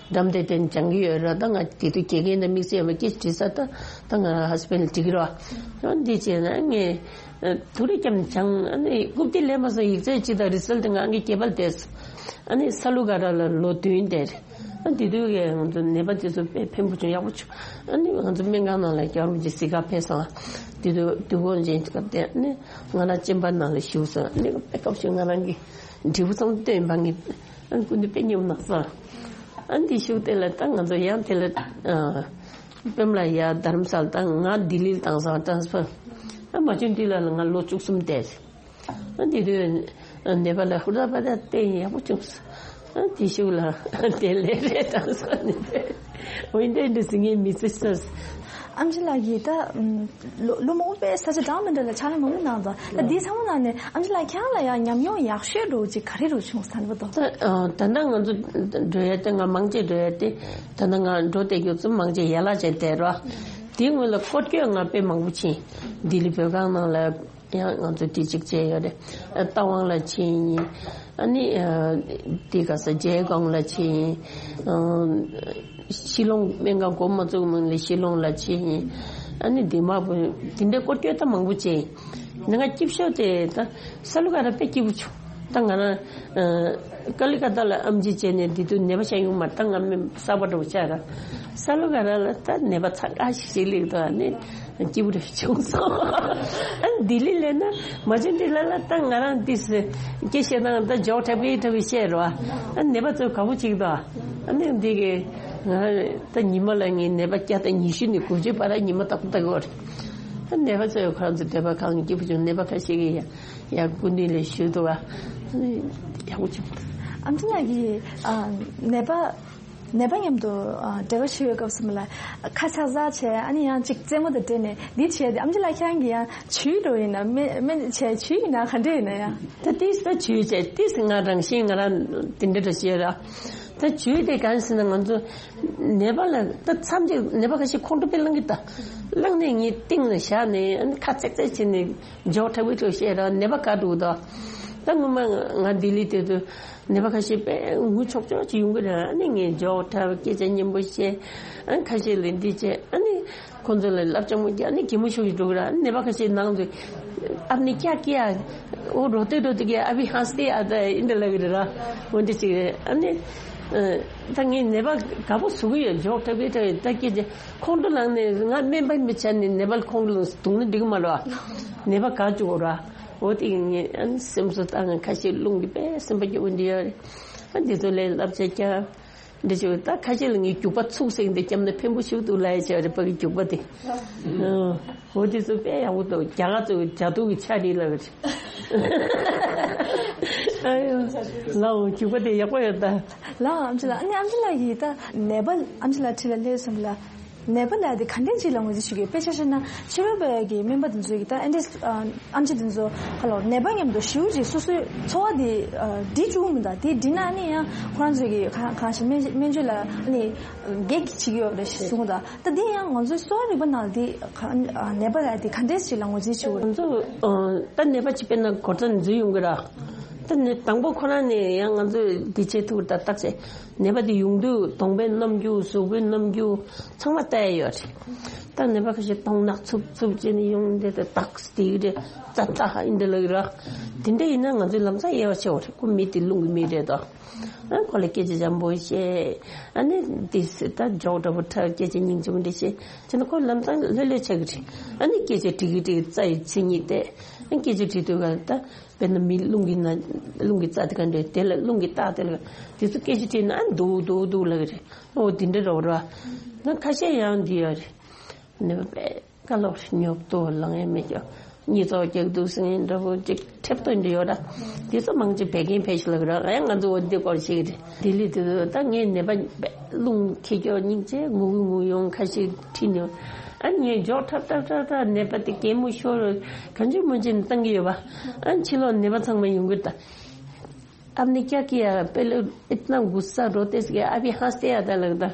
འགྲམ་དེ་དེ་སྦྱང་གི་ཡོད་ར། ད་ང་དེ་དུས་དགེ་རྒན་དང་དམིགས་བསལ་ཡོད་མ་སྐད་ཆ་དྲིས་ས་ད་ད་ང་རང་ཧ་སི་པན་ལ་འགྲིག་གི་རོགས། ཡང་འདི་བྱས་ན་ངས་ཐུགས་རེ་བསྐྱབས་ནས་སྦྱང་ཨ་ནི་རྐུབ་སྟེགས་ལེན་མ་སོང་། ཡིག་ཚད་ཅི་དང་རི་སལ་དེ་ང་ངའི་སྐྱེས་པ་བསྡད་སོང་། ཨ་ནི་ས་ལུ་ག་ར་ལ་ལོ་བདུན་བསྡད་རེད། ཨ་དེ་དུས་ཀྱི་ང་ཚོ་ནད་པ་དེ་ཚོ་དཔེ་ཕན་པོ་བྱུང་ཡག་པོ་བྱུང་། ཨ་ནི་ང་ཚོ་སྨན་ཁང་ནང་ལ་རྒྱལ་བ་རིན་པོ་ཆེ་གཟིགས་ག་ཕེབས་སོང་། དེ་དུས་དུས་འཁོར་ཅན་སྐབས་དེ་ཨ་ནི་ང་རང་ཅན་པ་ནང་ལ་བཞུགས་སོང་། ཨ་ནི་དཔེ་སྐབས་ཤིག་ང་རང་གི་འབྲས་བུ་ཚང་སྟོན་པ་ངས་ཨ་ནི་སྐུ་མདུན་དཔེ་སྙོམས་གནང་སོང་། ཨ་ནི་དེ་བཞུགས་དེ་ལ་ད་ང་ཚོ་ཡང་དེ་ལ་ཨ་པེམ་ལ་ཡ་དྷ་རམ་ས་ལ་ད་ང་ལྡི་ལི་ལ་བཏང་སོང་། ཊ་རན་སི་ཕར། ཨ་མ་བྱོན་དུས་ལ་ང་ལོ་བཅུ་གསུམ་བསྡད། ཨ་དེ་དུས་ནད་པ་ལ་ཧུར་ཐག་པ་ད་བསྟེན་ཡག་པོ་བྱུང་སོང་། ཨ་དེ་ཤུགས་ལ་དེ་ལས་རེད་དང་སོགས་ནས་འོན་ཏེ་འདི་སྲིད་ངའི་མི་ཚེ་སོས། ཨམ་ཆི་ལགས་ཀྱིས་ད་ལོ་ལོ་མང་པོ་པའི་ས་ཆ་གྲངས་མི་འདྲ་ལ་ཕྱག་ལས་མང་པོ་གནང་འདུག་ད་འདི་ཚང་མ་ནང་ནས་ཨམ་ཆི་ལགས་ཁྱེད་རང་ལ་ཡང་ཉམས་མྱོང་ཡག་ཤོས་འདྲ་བོ་ཅིག་ག་རེ་རུ་བྱུང་ཟེར་བ་དང་། ད་ད་ལྟ་ང་ཚོ་འགྲོ་ཡ་དེ་ང་མང་ཆེ་འགྲོ་ཡ་དེ་ད་ལྟ་ང་འགྲོ་བསྡད་རྒྱུ་ཚོ་མང་ཆེ་ཡན་ལག་ཅན་དེ་རོ། དེའི་སྔོན་ལ་སྐོར་སྐྱོད་ང་དཔེ་མང་པོ་ཕྱིན། ལྡི་ལི་བོད་ཁང་ནང་ལ། ཡང་ང་ཚོ་དེ་གཅིག་བྱས་ཡོད་རེད། རྟ་དབང་ལ་ཕྱིན་ཡིན། ཨ་ནི་དེ་ག་ས་རྒྱལ་ཁོངས་ལ་ཕྱིན་ཡིན། ཤི་ལོང་སྨན་ཁང་འགོ་མ་བཙུགས་སྔོན་ལ་ཤི་ལོང་ལ་ཕྱིན་ཡིན། ཨ་ནི་དི་མ་བུ་དེ་འདྲའི་སྐོར་སྐྱོད་ད་མང་པོ་བྱས་ཡིན། ང་སྐྱིད་ཤོས་དེ་ད་ས་ལུ་ག་ར་དཔེ་སྐྱིད་པོ་བྱུང་། ད་ང་རང་ཀ་ལི་ཀ་ཏ་ལ་ཨམ་ཆི་བྱས་ནས་དེ་དུས་ནད་པ་ཤ་ཡོང་མ་ད་ང་མི་གསར་པ་འགྲོ་ཆགས་ར། ས་ལུ་ག་ར་ལ་ད་ནད་པ་ཚ་ཁ་ཤིག་ཞིག་སླེབས་འདུག་ཨ་ནི། སྐྱིད་པོ་རེ་བྱུང་སོང་། ཨ་ལྡི་ལི་ལས་ན་མ་བྱན་འདི་ལ་ལ་ད་ང་རང་འདི་སྐད་བཤད་སྟངས་ད་འཇོག་འཁྲབ་ཀྱི་འཁྲབ་ཀྱི་བཤད་རོ། ཨ་ནད་པ་ཚོ་དགའ་པོ་ཅིག་ད། ཨ་ནི་འདི་གི་ང་ད་ཉི་མ་ལ་ངའི་ནད་པ་བརྒྱ་དང་ཉི་ཤུ་ནས་དགུ་བཅུ་བར་ཉི་མ་ལྟ་བུ་ལྟ་གི་ཡོད་རེད། ཨ་ནད་པ་ཚོ་ཁོ་རང་ཚོ་འདོད་པ་ཁང་སྐྱིད་པོ་བྱུང་། ནད་པ་ཁ་ཤས་ཀྱིས་ཡ་ཡ་སྐུ་མདུན་ལ་ཞུས་འདུག་ཨ་ནི་ཡག་པོ་བྱུང་། ཨམ་ཆི་ལགས་ཀྱིས་ཨ་ནད་པ། ནད་པ་མཉམ་དུ་ཨ་འབྲེལ་བ་བྱེད་པའི་སྐབས་སུ་མ་ལ་ཁ་ཆག་ཟག་བྱས། ཨ་ནི་ཡང་གཅིག་རྩེད་མོ་དང་འབྲེལ་ནས་འདི་བྱས་ཏེ། ཨམ་ཆི་ལགས་ཁྱེད་རང་གིས་ཡང་ཇུས་འདྲ་བོ་ཡིན་ན་སྨན་སྨན་བྱས་ཇུས་ཡིན་ན་ག་འདྲ་ཡིན་ན་ཡང་། ད་ཏིས་ད་ཇུས་བྱས་ཏིས་ང་རང་བཞིན་ང་རང་དེ་འདྲ་འདྲ་བྱས་ར། ད་ཇུས་དེ་གང་ཟེར་ན་ང་ཚོ་ནད་པ་ལ་ད་མཚམས་ཅིག་ནད་པ་ཁ་ཤས་ཁོང་ཁྲོ་དཔེ་ལངས་གི་ད་ལངས་ནས་ངའི་སྟེང་ལ་བཞག་ནས་ཨ་ནི་ཁ་ཚེག་ཚེག་བྱས་ནས་འཇོག་འཁྲབ་གི་འདུག་བཤད་ར། ནད་པ་དགའ་འདུག་ད། ད་ངོ་མ་ང་ལྡི་ལི་དེ་དུས། ནད་པ་ཁ་ཤས་དཔེ་ངུ་ཆོག་ཆོག་ཅིག་ཡོང་གི་རེད། ཨ་ནི་ངས་འཇོག་འཁྲབ་སྐད་ཆ་སྙན་པོ་བཤད། ཨ་ཁ་ཤས་ལ་འདི་བྱས། ཨ་ནི་ཁོང་ཚོ་ལ་བསླབ་བྱ་མོ་རྒྱག་ཨ་ནི་གད་མོ་ཤོར་གྱི་འགྲོ་གི་རེད། ཨ་ནི་ནད་པ་ཁ་ཤས་ནང་དུ་ཨབ་ནི་ཀྱ་ཀྱ་འོ་རོ་ཏེ་རོ་ཏེ་ཀྱ་ཨ་བི་ཧང་སྟེ་ཨ་ད་ཨིན་ད་ལབ་གི་རེད་ར། འོ་འདི་ཅིག་རེད། ཨ་ནི་ད་ངས་ནད་པ་དགའ་པོ་བཟོ་གི་ཡོད། འཇོག་འཁྲབ་ཀྱི་འཁྲབ་ཡོད། ད་སྐད་ཆ་ཁོང་ཁྲོ་ལངས་ནས་ང་སྨན་པ་མི་བྱ་ནས་ནད་པ་ཁོང་ཁྲོ་ལངས་སྡུག་ན་འགྲིག་གི་མ་རེད་བ། ནད་པ་དགའ་བཅུག་གོ་ར། འོ་དེ་ངས་ཨ་ནི་སེམས་གསོ་བཏང་ཁ་ཤས་རླུང་གི་དཔེ་སེམས་པ་སྐྱོ་བོ་འདི་ཡོད་རེད། ཨ་འདི་ཚོ་ལས་བསླབ་བྱ་རྒྱག་འདི་བྱེད་ད་ཁ་ཤས་ལ་ངས་རྒྱུག་པ་ཚུགས་ཟིན་ཏེ་བརྒྱབ་ན་ཕན་པོ་ཞིག་འདུག་ལབ་ཡ་བྱས་རེད་པ་གི་རྒྱུག་པ་དེ། འོ་དེ་ཚོ་དཔེ་ཡག་པོ་འདུག་རྒྱ་གར་ཚོ་ཇ་དུག་གི་ཆ་རེད་ལབ་རེད། ཨ་ཡོ། ལའོ་རྒྱུག་པ་དེ་ཡག་པོ་ཡོད་ད། ལའོ་ཨམ་ཆི་ལགས། ཨ་ནི་ཨམ་ཆི་ལགས་ཀྱིས་ད་ནད་པ་ཨམ་ཆི་ལགས་འཁྲིས་ལ་སླེབས་སོང་ལ། ནད་པ་ལ་དེ་ག་འདྲས་ཅིག་ལ་ངོས་འཛིན་ཞུ་གི། དཔེ་ཆ་བཞག་ན་ཕྱི་རོལ་པའི་གི་སྨན་པ་དེ་ཚོ་གི་ད་ཨེ་འདྲས་ཨམ་ཆི་དེ་ཚོ་ཧ་ལོ་ནད་པ་མཉམ་དུ་ཞེ་པོ་ཅིག་སོ་སོའི་འཚོ་བ་དེ་འགྲིག་བཅུག་མི་འདུག་དེ་འགྲིག་ན་ཨ་ནི་ཡང་ཁོ་རང་ཚོ་གི་གང་གང་ཞིག་སྨན་སྨན་བཅོས་ལ་ཨ་ནི་གེགས་བྱེད་ཀྱི་ཡོད་རེད་ཞེས་གསུངས་འདུག་ད་དེ་ཡང་ང་ཚོའི་གསོ་བ་རིག་པ་ནང་དེ་ནད་པ་ལ་དེ་ག་འདྲས་ཅིག་ལ་ངོས་འཛིན་ཞུ་དགོས། ང་ཚོ་ད་ནད་པ་ཅིག་དཔེར་ན་གོ་ཁྲབ་འཛུལ་ཡོང་གི་ར། ད་ནི་དང་པོ་ཁོ་རང་ནས་ཡང་ང་ཚོས་འདི་བྱེད་ཐུབ་ད་བརྟག་དཔྱད། ནད་པ་དེ་ཡོང་དུས་གདོང་པའི་རྣམ་འགྱུར་གཟུགས་པོའི་རྣམ་འགྱུར་ཚང་མ་ལྟ་ཡ་ཡོད་རེད། ད་ནད་པ་ཁ་ཤས་གདོང་ནག་འཚུབ་འཚུབ་བྱས་ནས་ཡོང་དེ་ད་ཏག་སྟེ་རེད་ཙ་ཙ་ཧ་ཨིན་དེ་ལ་ར། དེ་འདྲ་ཡིན་ན་ང་ཚོའི་ལམ་སང་དབྱེ་བ་ཕྱེ་བ་རེད། ཁོ་མི་དེ་རླུང་གི་མི་རེད་དོ། ཨ་ཁོ་ལ་སྐད་ཆ་འཇམ་པོ་བཤད། ཨ་ནི་དེ་ད་འཇོག་འདྲ་པོ་འཁྲབ་སྐད་ཆ་སྙིང་རྗེ་པོ་འདྲ་བཤད་བྱས་ན་ཁོ་ལམ་སང་ལྷོད་ལྷོད་ཆགས་ཀྱི་རེད། ཨ་ནི་སྐད་ཆ་དྲི་གི་དྲི་གི་རྩ་ཡི་མཚན་ཉིད་དེ། ཨ་སྐད་ཆ་དྲི་དུས་ག་ད། དཔེར་ན་མི་རླུང་གི་ན་རླུང་གི་རྩ་དེ་ག་འདྲ་དེ་ལ་རླུང་གི་རྟགས་དེ་ལ་དེ་ཚོ་སྐད་ཆ་དྲིས་ན་ཨ་འདུག་འདུག་འདུག་ལབ་ཀྱི་རེད། ཨོ་དེ་འདྲ་རོ་ར། ན་ཁ་ཤས་ཡང་འདི་ཡོད་རེད། ནི་དཔེ་ཀ་ལོག་རེད། ཉོབ་ཏོ་ལངས་ཡས་མེད་ཀྱང་གཉིད་ཙོག་རྒྱག་འདུག་ཟེར་མཁན་འདྲ་པོ་ཅིག་ཁྲེབ་ཏོ་འདྲ་ཡོད་ར། དེ་ཚོ་མང་ཆེ་བད་ཀན་ཕལ་ཆེར་ལབ་ཀྱི་ར། ཨ་ཡང་ང་ཚོ་འོ་འདི་སྐོར་ཤེས་ཀྱི་རེད། དེ་ལས་དེ་ཚོ་ད་ངའི་ནད་པ་རླུང་འཁྱེར་ཀྱོག་སྙིང་རྗེ་ངུ་གི་ངུ་ཡོང་ཁ་ཤས་ཁྲིད་ནས། ཨ་ངས་འཇོག་འཁྲབ་འཁྲབ་འཁྲབ་འཁྲབ་ནད་པ་དེ་གད་མོ་ཤོར་གང་བྱུང་མང་བྱུང་བཏང་གི་ཡོད་པ། ཨ་ཕྱི་ལོགས་ནད་པ་ཚང་མ་ཡོང་གི་ད། आपने क्या किया? पहले इतना गुस्सा रोते से, अभी हंसते आता लगता।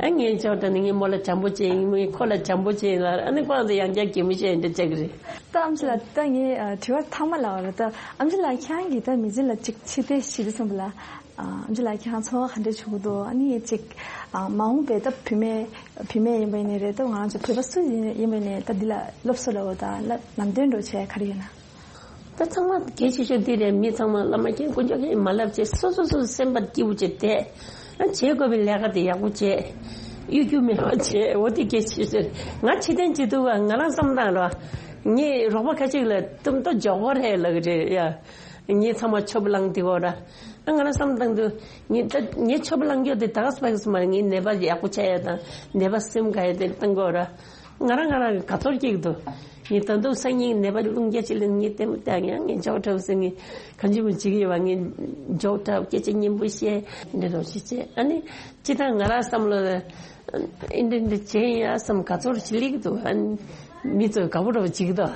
ཨ་ངས་ཅོག་ཏ་ནི་ངའི་མོ་ལ་བྱམས་པོ་བྱས་ཡིན། ངས་ཁོ་ལ་བྱམས་པོ་བྱས་ཡིན་ལ། ཨ་ནི་ཁོ་རང་ཚོ་ཡང་བསྐྱར་གད་མོ་བཤད་ཡིན་འདྲ་ཅག་རེད། ད་ཨམ་ཆི་ལགས། ད་ངའི་ཨ་དྲི་བ་མཐའ་མ་ལ་བ་རེད། ད་ཨམ་ཆི་ལགས་ཁྱེད་རང་གིས་ད་མི་ཚེ་ལ་ཅིག་ཕྱི་བལྟས་ཞིག་རེད་སོང་བ་ལ། ཨ་ཨམ་ཆི་ལགས་ཁྱེད་རང་ཚོར་བ་ག་འདྲ་བྱུང་གི་འདུག་ཨ་ནི་ཅིག་ཨ་མ་འོངས་པའི་ད་བུད་མེད་བུད་མེད་ཡིན་པ་ཡིན་ནའི་རེད། ད་ང་རང་ཚོ་བོད་པ་སུ་ཡིན་ཡིན་པ་ཡིན་ནའི་ད་འདི་ལ་སློབ་གསོ་ལ་འོ་ད་ལ་ལམ་སྟོན་འགྲོ་བྱས་ག་རེ་ཡོད་ན། ད་ཚང་མ་གལ་ཆེ་ཤོས་འདི་རེད། མི་ཚང་མ་བླ་མ་མཁྱེན་དཀོན་མཆོག་མཁྱེན་མ་ལབ་བྱས། སོ་སོ་སོ་སེམས་པ་སྐྱིད་པོ་བྱས་བསྡད། ཨ་བྱེད་དགོས་པའི་ལས་ཀ་དེ་ཡག་པོ་བྱས། གཡོ་སྒྱུ་མེད་པ་བྱས། འོ་དེ་གལ་ཆེ་ཤོས་རེད། ང་ཕྱི་བལྟས་བྱེད་དུས་ང་རང་བསམ་སྟངས་ལ་ངས་རོགས་པ་ཁ་ཅིག་ལ་གཏུམ་ཏོ་འཇོག་གོ་རེད་ལབ་ཀྱི་རེད་ཡ། ངས་ཚང་མ་ཆོབ་ལངས་དེ་གོ་ར། ཨ་ང་རང་བསམ་སྟངས་དུ་ངས་ད་ངས་ཆོབ་ལངས་རྒྱུ་དེ་ད་ག་སྤེག་སི་མ་རེད། ངའི་ནད་པ་ཡག་པོ་ཆགས་ཡ་དང་ནད་པ་སེམས་དགའ་ཡ་དེ་གཏང་གོ་ར། ང་རང་ང་རང་གི་དགའ་ཚོར་སྐྱེ་གི་འདུག་ངས་ད་དུང་སང་ཉིན་ནད་པ་རླུང་རྒྱག་ཅིག་ལ་ངས་ལྟད་མོ་ལྟ་ཡང་ངས་འཇོག་འཁྲབ་ཟེར། ངས་གང་ཅི་མོ་བྱེད་ཀྱི་ཡོད་པ། ངས་འཇོག་འཁྲབ་སྐད་ཆ་སྙན་པོ་བཤད་འདྲ་རོགས་ཞིག་བྱས། ཨ་ནི་ཅི་ད་ང་རང་བསམ་བློ་ཨེ་འདྲ་འདྲ་བྱས་ཡ་བསམ་དགའ་ཚོར་ཞིག་སླེབས་ཀྱི་འདུག་ཨ་ནི་མི་ཚོ་དགའ་པོ་འདྲ་བོ་བྱེད་ཀྱི་འདུག་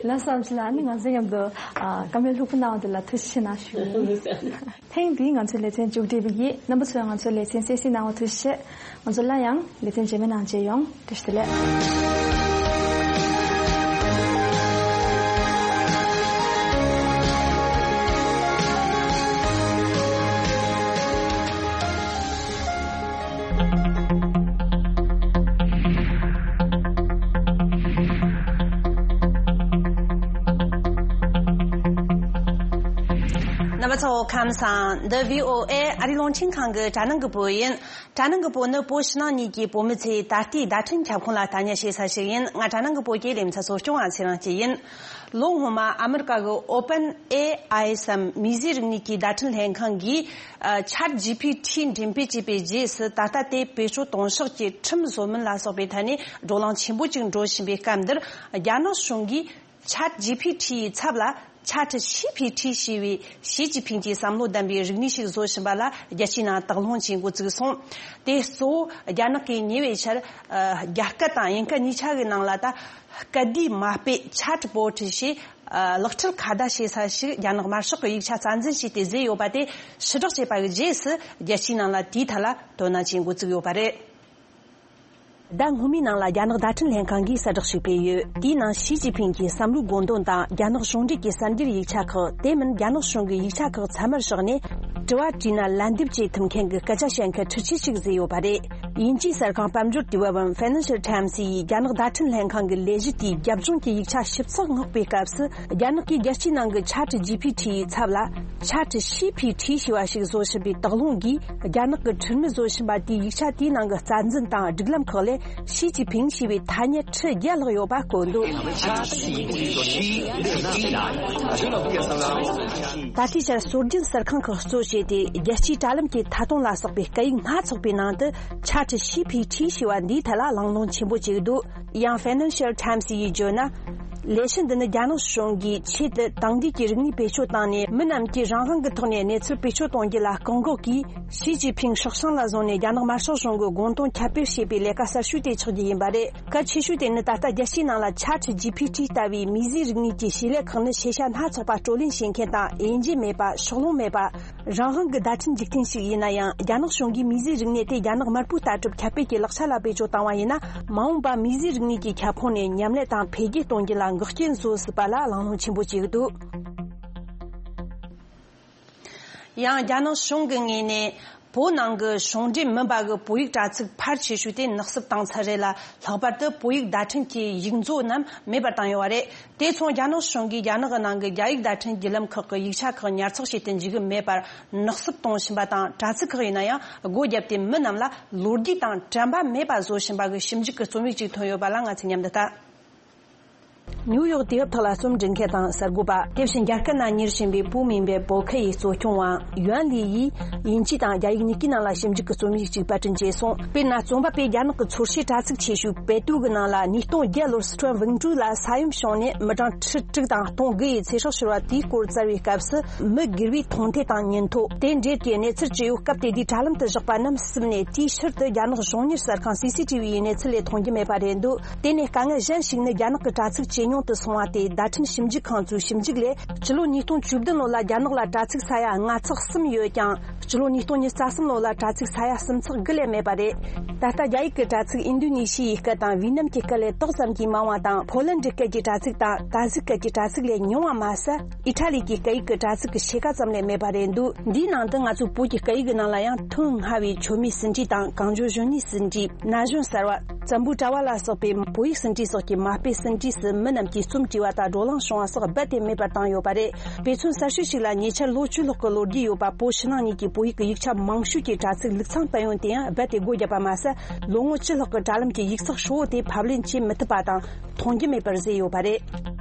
ལགས་སོ། ཨམ་ཆི་ལགས། ཨ་ནི་ང་ཚོའི་མཉམ་དུ་ཨ་བཀའ་མོལ་ལྷུག་པོ་གནང་བ་དེ་ལ་ཐུགས་རྗེ་ཆེ་གནང་ཞུ། ཐེངས་འདིའི་ང་ཚོའི་ལེ་ཚན་མཇུག་སྒྲིལ་བ་ཡིན། རྣམ་པ་ཚོས་ང་ཚོའི་ལེ་ཚན་གསན་གཟིགས་གནང་བ་ཐུགས་རྗེ་ཆེ། ང་ཚོ་སླར་ཡང་ལེ་ཚན་རྗེས་མའི་ནང་མཇལ་ཡོང་། བཀྲ་ཤིས་བདེ་ལེགས། རྣམ་པ་ཚོ་ཁམས་བཟང་། འདི་བྷི་ཨོ་ཨེ་ཨ་རི་རླུང་འཕྲིན་ཁང་གི་དྲ་ནང་གི་བོད་ཡིན། དྲ་ནང་གི་བོད་ནི་བོད་ཕྱི་ནང་གཉིས་ཀྱི་བོད་མི་ཚོས་ད་ལྟའི་བརྡ་འཕྲིན་ཁྱབ་ཁོངས་ལ་ལྟ་ཉན་བྱེད་ས་ཞིག་ཡིན། ང་དྲ་ནང་གི་བོད་ཀྱི་ལེ་ཚན་གཙོ་སྐྱོང་བ་ཚེ་རིང་སྐྱིད་ཡིན། ལོ་སྔོན་མ་ཨ་མི་རི་ཀ་གི་Open A I སམ་མིས་བཟོས་རིག་གནས་ཀྱི་བརྡ་འཕྲིན་ལྷན་ཁང་གིས་ཨ་Chat G P T འགྲེམས་སྤེལ་བྱས་པའི་རྗེས་སུ། ད་ལྟ་དེ་བེད་སྤྱོད་གཏོང་ཕྱོགས་ཀྱི་ཁྲིམས་བཟོ་མིན་ལ་སོགས་པའི་ཐད་ནས་བགྲོ་གླེང་ཆེན་པོ་ཅིག་འགྲོ་བཞིན་པའི་སྐབས་འདིར། རྒྱ་ནག་གཞུང་གིས་Chat G P T ཡི་ཚབ་ལ་Chat C P T ཞེས་པའི་ཞི་ཅིན་ཕིང་གི་བསམ་བློ་ལྡན་པའི་རིག་གནས་ཤིག་བཟོ་བཞིན་པ་ལ་རྒྱལ་སྤྱིའི་ནང་དོགས་སློང་བྱེད་འགོ་བཙུགས་སོང་། དེ་གཙོ་བོ་རྒྱ་ནག་གིས་ཉེ་བའི་ཆར་ཨ་རྒྱ་སྐད་དང་དབྱིན་སྐད་གཉིས་ཆ་གི་ནང་ལ་ད་སྐད་བསྡུས་མ་དཔེ་Chatbot ཞེས་ཨ་ལག་ཁྲིད་ཁ་བརྡ་བྱེད་ས་ཞིག་རྒྱ་ནག་དམར་ཤོག་གི་ཡིག་ཆ་རྩ་འཛིན་བྱས་ཏེ་བཟོས་ཡོད་པ་དེ་ཕྱིར་བསྒྲགས་བྱས་པ་གི་རྗེས་སུ། རྒྱལ་སྤྱིའི་ནང་ལ་དེའི་ཐད་ལ་དོ་སྣང་བྱེད་འགོ་བཙུགས་ཡོད་པ་རེད། ཟླ་སྔོན་མའི་ནང་ལ་རྒྱ་ནག་བརྡ་འཕྲིན་ལྷན་ཁང་གིས་གསལ་བསྒྲགས་ཤིག་སྤེལ་ཡོད། དེའི་ནང་ཞི་ཅིན་ཕིང་གི་བསམ་བློའི་དགོངས་དོན་དང་། རྒྱ་ནག་གཞུང་འབྲེལ་གྱི་གསར་འགྱུར་ཡིག་ཆ་ཁག་དེ་མིན་རྒྱ་ནག་གཞུང་གི་ཡིག་ཆ་ཁག་ཚང་མར་བཞག་ནས། དྲི་བ་དྲིས་ན་ལན་འདེབས་བྱེད་ཐུབ་མཁན་གྱི་སྐད་ཆ་བཤད་མཁན་འཕྲུལ་ཆས་ཤིག་བཟོས་ཡོད་པ་རེད། དབྱིན་ཇིའི་གསར་ཁང་དཔལ་འབྱོར་དུས་བབ་བམ་Financial Times ཡིས་རྒྱ་ནག་བརྡ་འཕྲིན་ལྷན་ཁང་གི་ལས་གཞི་དེའི་རྒྱབ་ལྗོངས་ཀྱི་ཡིག་ཆ་ཞིབ་ཚགས་བསྔོགས་པའི་སྐབས་སུ། རྒྱ་ནག་གིས་རྒྱལ་སྤྱིའི་ནང་གི་Chat G P T ཡི་ཚབ་ལ་Chat C P T ཞེས་པ་ཞིག་བཟོ་བཞིན་པའི་དོགས་སློང་གིས། རྒྱ་ནག་གི་ཁྲིམས་མི་བཟོ་བཞིན་པ་དེའི་ཡིག་ཆ་དེའི་ནང་གི་རྩ་འཛིན་དང་སྒྲིག་ལམ་ཁག་ལས་ཞི་ཅིན་ཕིང་ཞེས་པའི་ཐ་སྙད་ཁྲི་བརྒྱ་ལྷག་ཡོད་པ་བཀོད་འདུག་ད་ལྟའི་ཆར་སྲོལ་རྒྱུན་གསར་ཁང་ཁག་གཙོ་བྱས་ཏེ། རྒྱལ་སྤྱིའི་དྲ་ལམ་གྱི་མཐའ་སྟོང་ལ་སོགས་པའི་སྐད་ཡིག་སྣ་ཚོགས་པའི་ནང་དུ་Chat C P T ཞེས་པ་འདིའི་ཐད་ལ་གླེང་སློང་ཆེན་པོ་བྱེད་ཀྱི་འདུག་ཡང་Financial Times ཡིས་བརྗོད་ན། ལས་གཞི་འདི་ནི་རྒྱ་ནག་གཞུང་གིས་ཆེད་དུ་དེང་དུས་ཀྱི་རིག་གནས་བེད་སྤྱོད་བཏང་ནས། མི་རྣམས་ཀྱིས་རང་དབང་གི་ཐོག་ནས་གནས་ཚུལ་བེད་སྤྱོད་གཏོང་རྒྱུ་ལ་བཀག་འགོག་གིས། ཞི་ཅིན་ཕིང་སྲོག་ཤིང་ལ་བཟུང་ནས་རྒྱ་ནག་དམར་ཤོག་གཞུང་གི་དགོངས་དོན་ཁྱབ་སྤེལ་བྱེད་པའི་ལས་ཀ་གསར་ཤོས་དེ་ཆགས་རྒྱུ་ཡིན་པ་རེད། གལ་ཆེ་ཤོས་དེ་ནི། ད་ལྟ་རྒྱལ་སྤྱིའི་ནང་ལ་Chat G P T ལྟ་བུའི་མིས་བཟོས་རིག་གནས་ཀྱི་བྱེད་ལས་ཁག་ནི་ཤེས་བྱ་སྣ་ཚོགས་པ་བགྲོ་གླེང་བྱེད་མཁན་དང་དབྱེ་འབྱེད་མེད་པ། ཕྱོགས་ལྷུང་མེད་པ། རང་དབང་གི་བརྡ་འཕྲིན་འཇིག་རྟེན་ཞིག་ཡིན་ན་ཡང་། རྒྱ་ནག་གཞུང་གིས་མིས་བཟོས་རིག་གནས་དེ་རྒྱ་ནག་དམར་པོའི་ལྟ་གྲུབ་ཁྱབ་སྤེལ་གྱི་ལག་ཆ་ལ་བེད་སྤྱོད་བཏང་བ་ཡིན་ན། མ་འོངས་པ་མིས་བཟོས་རིག་གནས་ཀྱི་ཁྱབ་ཁོངས་ནས་མཉམ་ལས་དང་འཕེལ་རྒྱས་གཏོང་རྒྱུ་ལ་འགོག་རྐྱེན་བཟོ་སྲིད་པ་ལ་གླེང་སློང་ཆེན་པོ་བྱེད་ཀྱི་འདུག་ཡང་རྒྱ་ནག་གཞུང་གི་ངོས་ནས། བོད་ནང་གི་གཞུང་འབྲེལ་མིན་པ་གི་བོད་ཡིག་དྲ་ཚིགས་ཕལ་ཆེ་ཤོས་དེ་ནག་བསུབ་བཏང་ཚར་རེད་ལ། ལྷག་པར་དུ་བོད་ཡིག་བརྡ་འཕྲིན་གྱི་ཡིག་མཛོད་རྣམས་མེད་པར་བཏང་ཡོད་པ་རེད། དེ་མཚུངས་རྒྱ་ནག་གཞུང་གིས་རྒྱ་ནག་གི་ནང་གི་རྒྱ་ཡིག་བརྡ་འཕྲིན་བརྒྱུད་ལམ་ཁག་གི་ཡིག་ཆ་ཁག་ཉར་ཚགས་བྱེད་དུ་འཇུག་གི་མེད་པར་ནག་བསུབ་གཏོང་བཞིན་པ་དང་། དྲ་ཚིགས་ཁག་ཡིན་ན་ཡང་སྒོ་བརྒྱབ་སྟེ་མི་རྣམས་ལ་ལོ་རྒྱུས་དང་དྲན་པ་མེད་པ་བཟོ་བཞིན་པ་གི་ཞིབ་འཇུག་གི་རྩོམ་ཡིག་ཅིག་ཐོན་ཡོད་པ་ལ་ང་ཚོས་མཉམ་དུ་ལྟ། ནིའུ་ཡོག་དུས་བབ་ཐོག་ལ་རྩོམ་འབྲི་མཁན་དང་གསར་འགོད་པ། དེ་བཞིན་རྒྱ་སྐད་ནང་གཉེར་བཞིན་པའི་བོད་མིང་པའི་བོད་ཁ་ཡི་གཙོ་སྐྱོང་བ་ཡོན་ལི་ཡིས་དབྱིན་ཇི་དང་རྒྱ་ཡིག་གཉིས་ཀའི་ནང་ལ་ཞིབ་འཇུག་གི་རྩོམ་ཡིག་ཅིག་པར་སྐྲུན་བྱས་སོང་། དཔེར་ན། རྩོམ་པ་པོས་རྒྱ་ནག་གི་ཚོར་ཤེས་དྲ་ཚིགས་ཆེ་ཤོས་པེ་ཏུའུ་གི་ནང་ལ་ཉིས་སྟོང་བརྒྱད་ལོར་སི་ཁྲོན་ཝུན་ཀྲུའུ་ལ་ས་ཡོམ་བྱུང་ནས་མི་གྲངས་ཁྲི་དྲུག་དང་སྟོང་དགུ་ཡི་ཚེ་སྲོག་ཤོར་བ་དེའི་སྐོར་བཙལ་བའི་སྐབས་སུ། མི་སྒེར་བའི་མཐོང་ཐོས་དང་ཉིན་ཐོ། དེ་འབྲེལ་གྱི་གནས་ཚུལ་ཇི་ཡོད་སྐབས་དེ་དུས་དྲ་ལམ་དུ་བཞག་པ་རྣམས་བསུབས་ནས། དེའི་ཕྱིར་དུ་རྒྱ་ནག་གཞུང་གཉེར་གསར་ཁང་སི་སི་ཊི་བི་ཡི་གནས་ཚུལ་ལས་མཐོང་རྒྱུ་མེད་པ་རེད་འདུག་དེ་ནས་དཀའ་ངལ་གཞན་ཞིག་ནི། རྒྱ་ནག་གི་དྲ་ཚིགས་ཇེ་ཉུང་ ནང་དུ་སོང་བ་དེ་བརྡ་འཕྲིན་ཞིབ་འཇུག་ཁང་ཚོའི་ཞིབ་འཇུག་ལས། སྤྱི་ལོ་ཉིས་སྟོང་བཅུ་བདུན་ལོ་ལ་རྒྱ་ནག་ལ་དྲ་ཚིགས་ས་ཡ་ལྔ་ཚེག་གསུམ་ཡོད་ཀྱང་། སྤྱི་ལོ་ཉིས་སྟོང་ཉི་ཤུ་རྩ་གསུམ་ལོ་ལ་དྲ་ཚིགས་ས་ཡ་གསུམ་ཚེག་དགུ་ལས་མེད་པ་རེད། ད་ལྟ་རྒྱ་ཡིག་གི་དྲ་ཚིགས་ཨིན་རྡུ་ནི་ཤི་ཡའི་སྐད་དང་ཝི་ནམ་གྱི་སྐད་ལས་ཏོག་ཙམ་གྱིས་མང་བ་དང་། ཕོ་ལན་ཌི་སྐད་ཀྱི་དྲ་ཚིགས་དང་ཏཱ་ཟིག་སྐད་ཀྱི་དྲ་ཚིགས་ལས་ཉུང་བ་མ་ཟད། ཨི་ཊ་ལི་གི་སྐད་ཡིག་གི་དྲ་ཚིགས་ཀྱི་ཕྱེད་ཀ་ཙམ་ལས་མེད་པ་རེད་འདུག་འདིའི་ནང་དུ་ང་ཚོའི་བོད་ཀྱི་སྐད་ཡིག་གི་ནང་ལ་ཡང་ཐོན་སྔ་བའི་མཆོད་མེ་ཟིན་བྲིས་དང་གངས་ལྗོངས་གཞོན་ནུའི་ཟིན་བྲིས། ན་གཞོན་གསར་བ། བཙན་པོའི་དྲ་བ་ལ་སོགས་པའི་བོད་ཡིག་ཟིན་བྲིས་སོགས་ཀྱི་མ་དཔེ་ཟིན་བྲིས་སུ་མི་རྣམས་ཀྱིས་རྩོམ་བྲིས་པ་དང་བགྲོ་གླེང་བྱུང་བ་སོགས་རྦད་དེ་མེད་པར་བཏང་ཡོད་པ་རེད། དཔེ་མཚོན་གསར་ཤོས་ཤིག་ལ། ཉེ་ཆར་ལོ་བཅུ་ལྷག་གི་ལོ་རྒྱུས་ཡོད་པ་བོད་ཕྱི་ནང་གཉིས་ཀྱི་བོད་ཡིག་གི་ཡིག་ཆ་མང་ཤོས་ཀྱི་དྲ་ཚིགས་ལུགས་མཚམས་སྤེལ་ཡོང་དེ་ཡང་རྦད་དེ་སྒོ་བརྒྱབ་པ་མ་ཟད། ལོ་ངོ་བཅུ་ལྷག་གི་དྲ་ལམ་གྱི་ཡིག་ཚགས་ཧྲིལ་བོ་དེ་ཕབ་ལེན་བྱེད་མི་ཐུབ་པ་དང་མཐོང་རྒྱུ་མེད་པར་བཟོས་ཡོད་པ་རེད།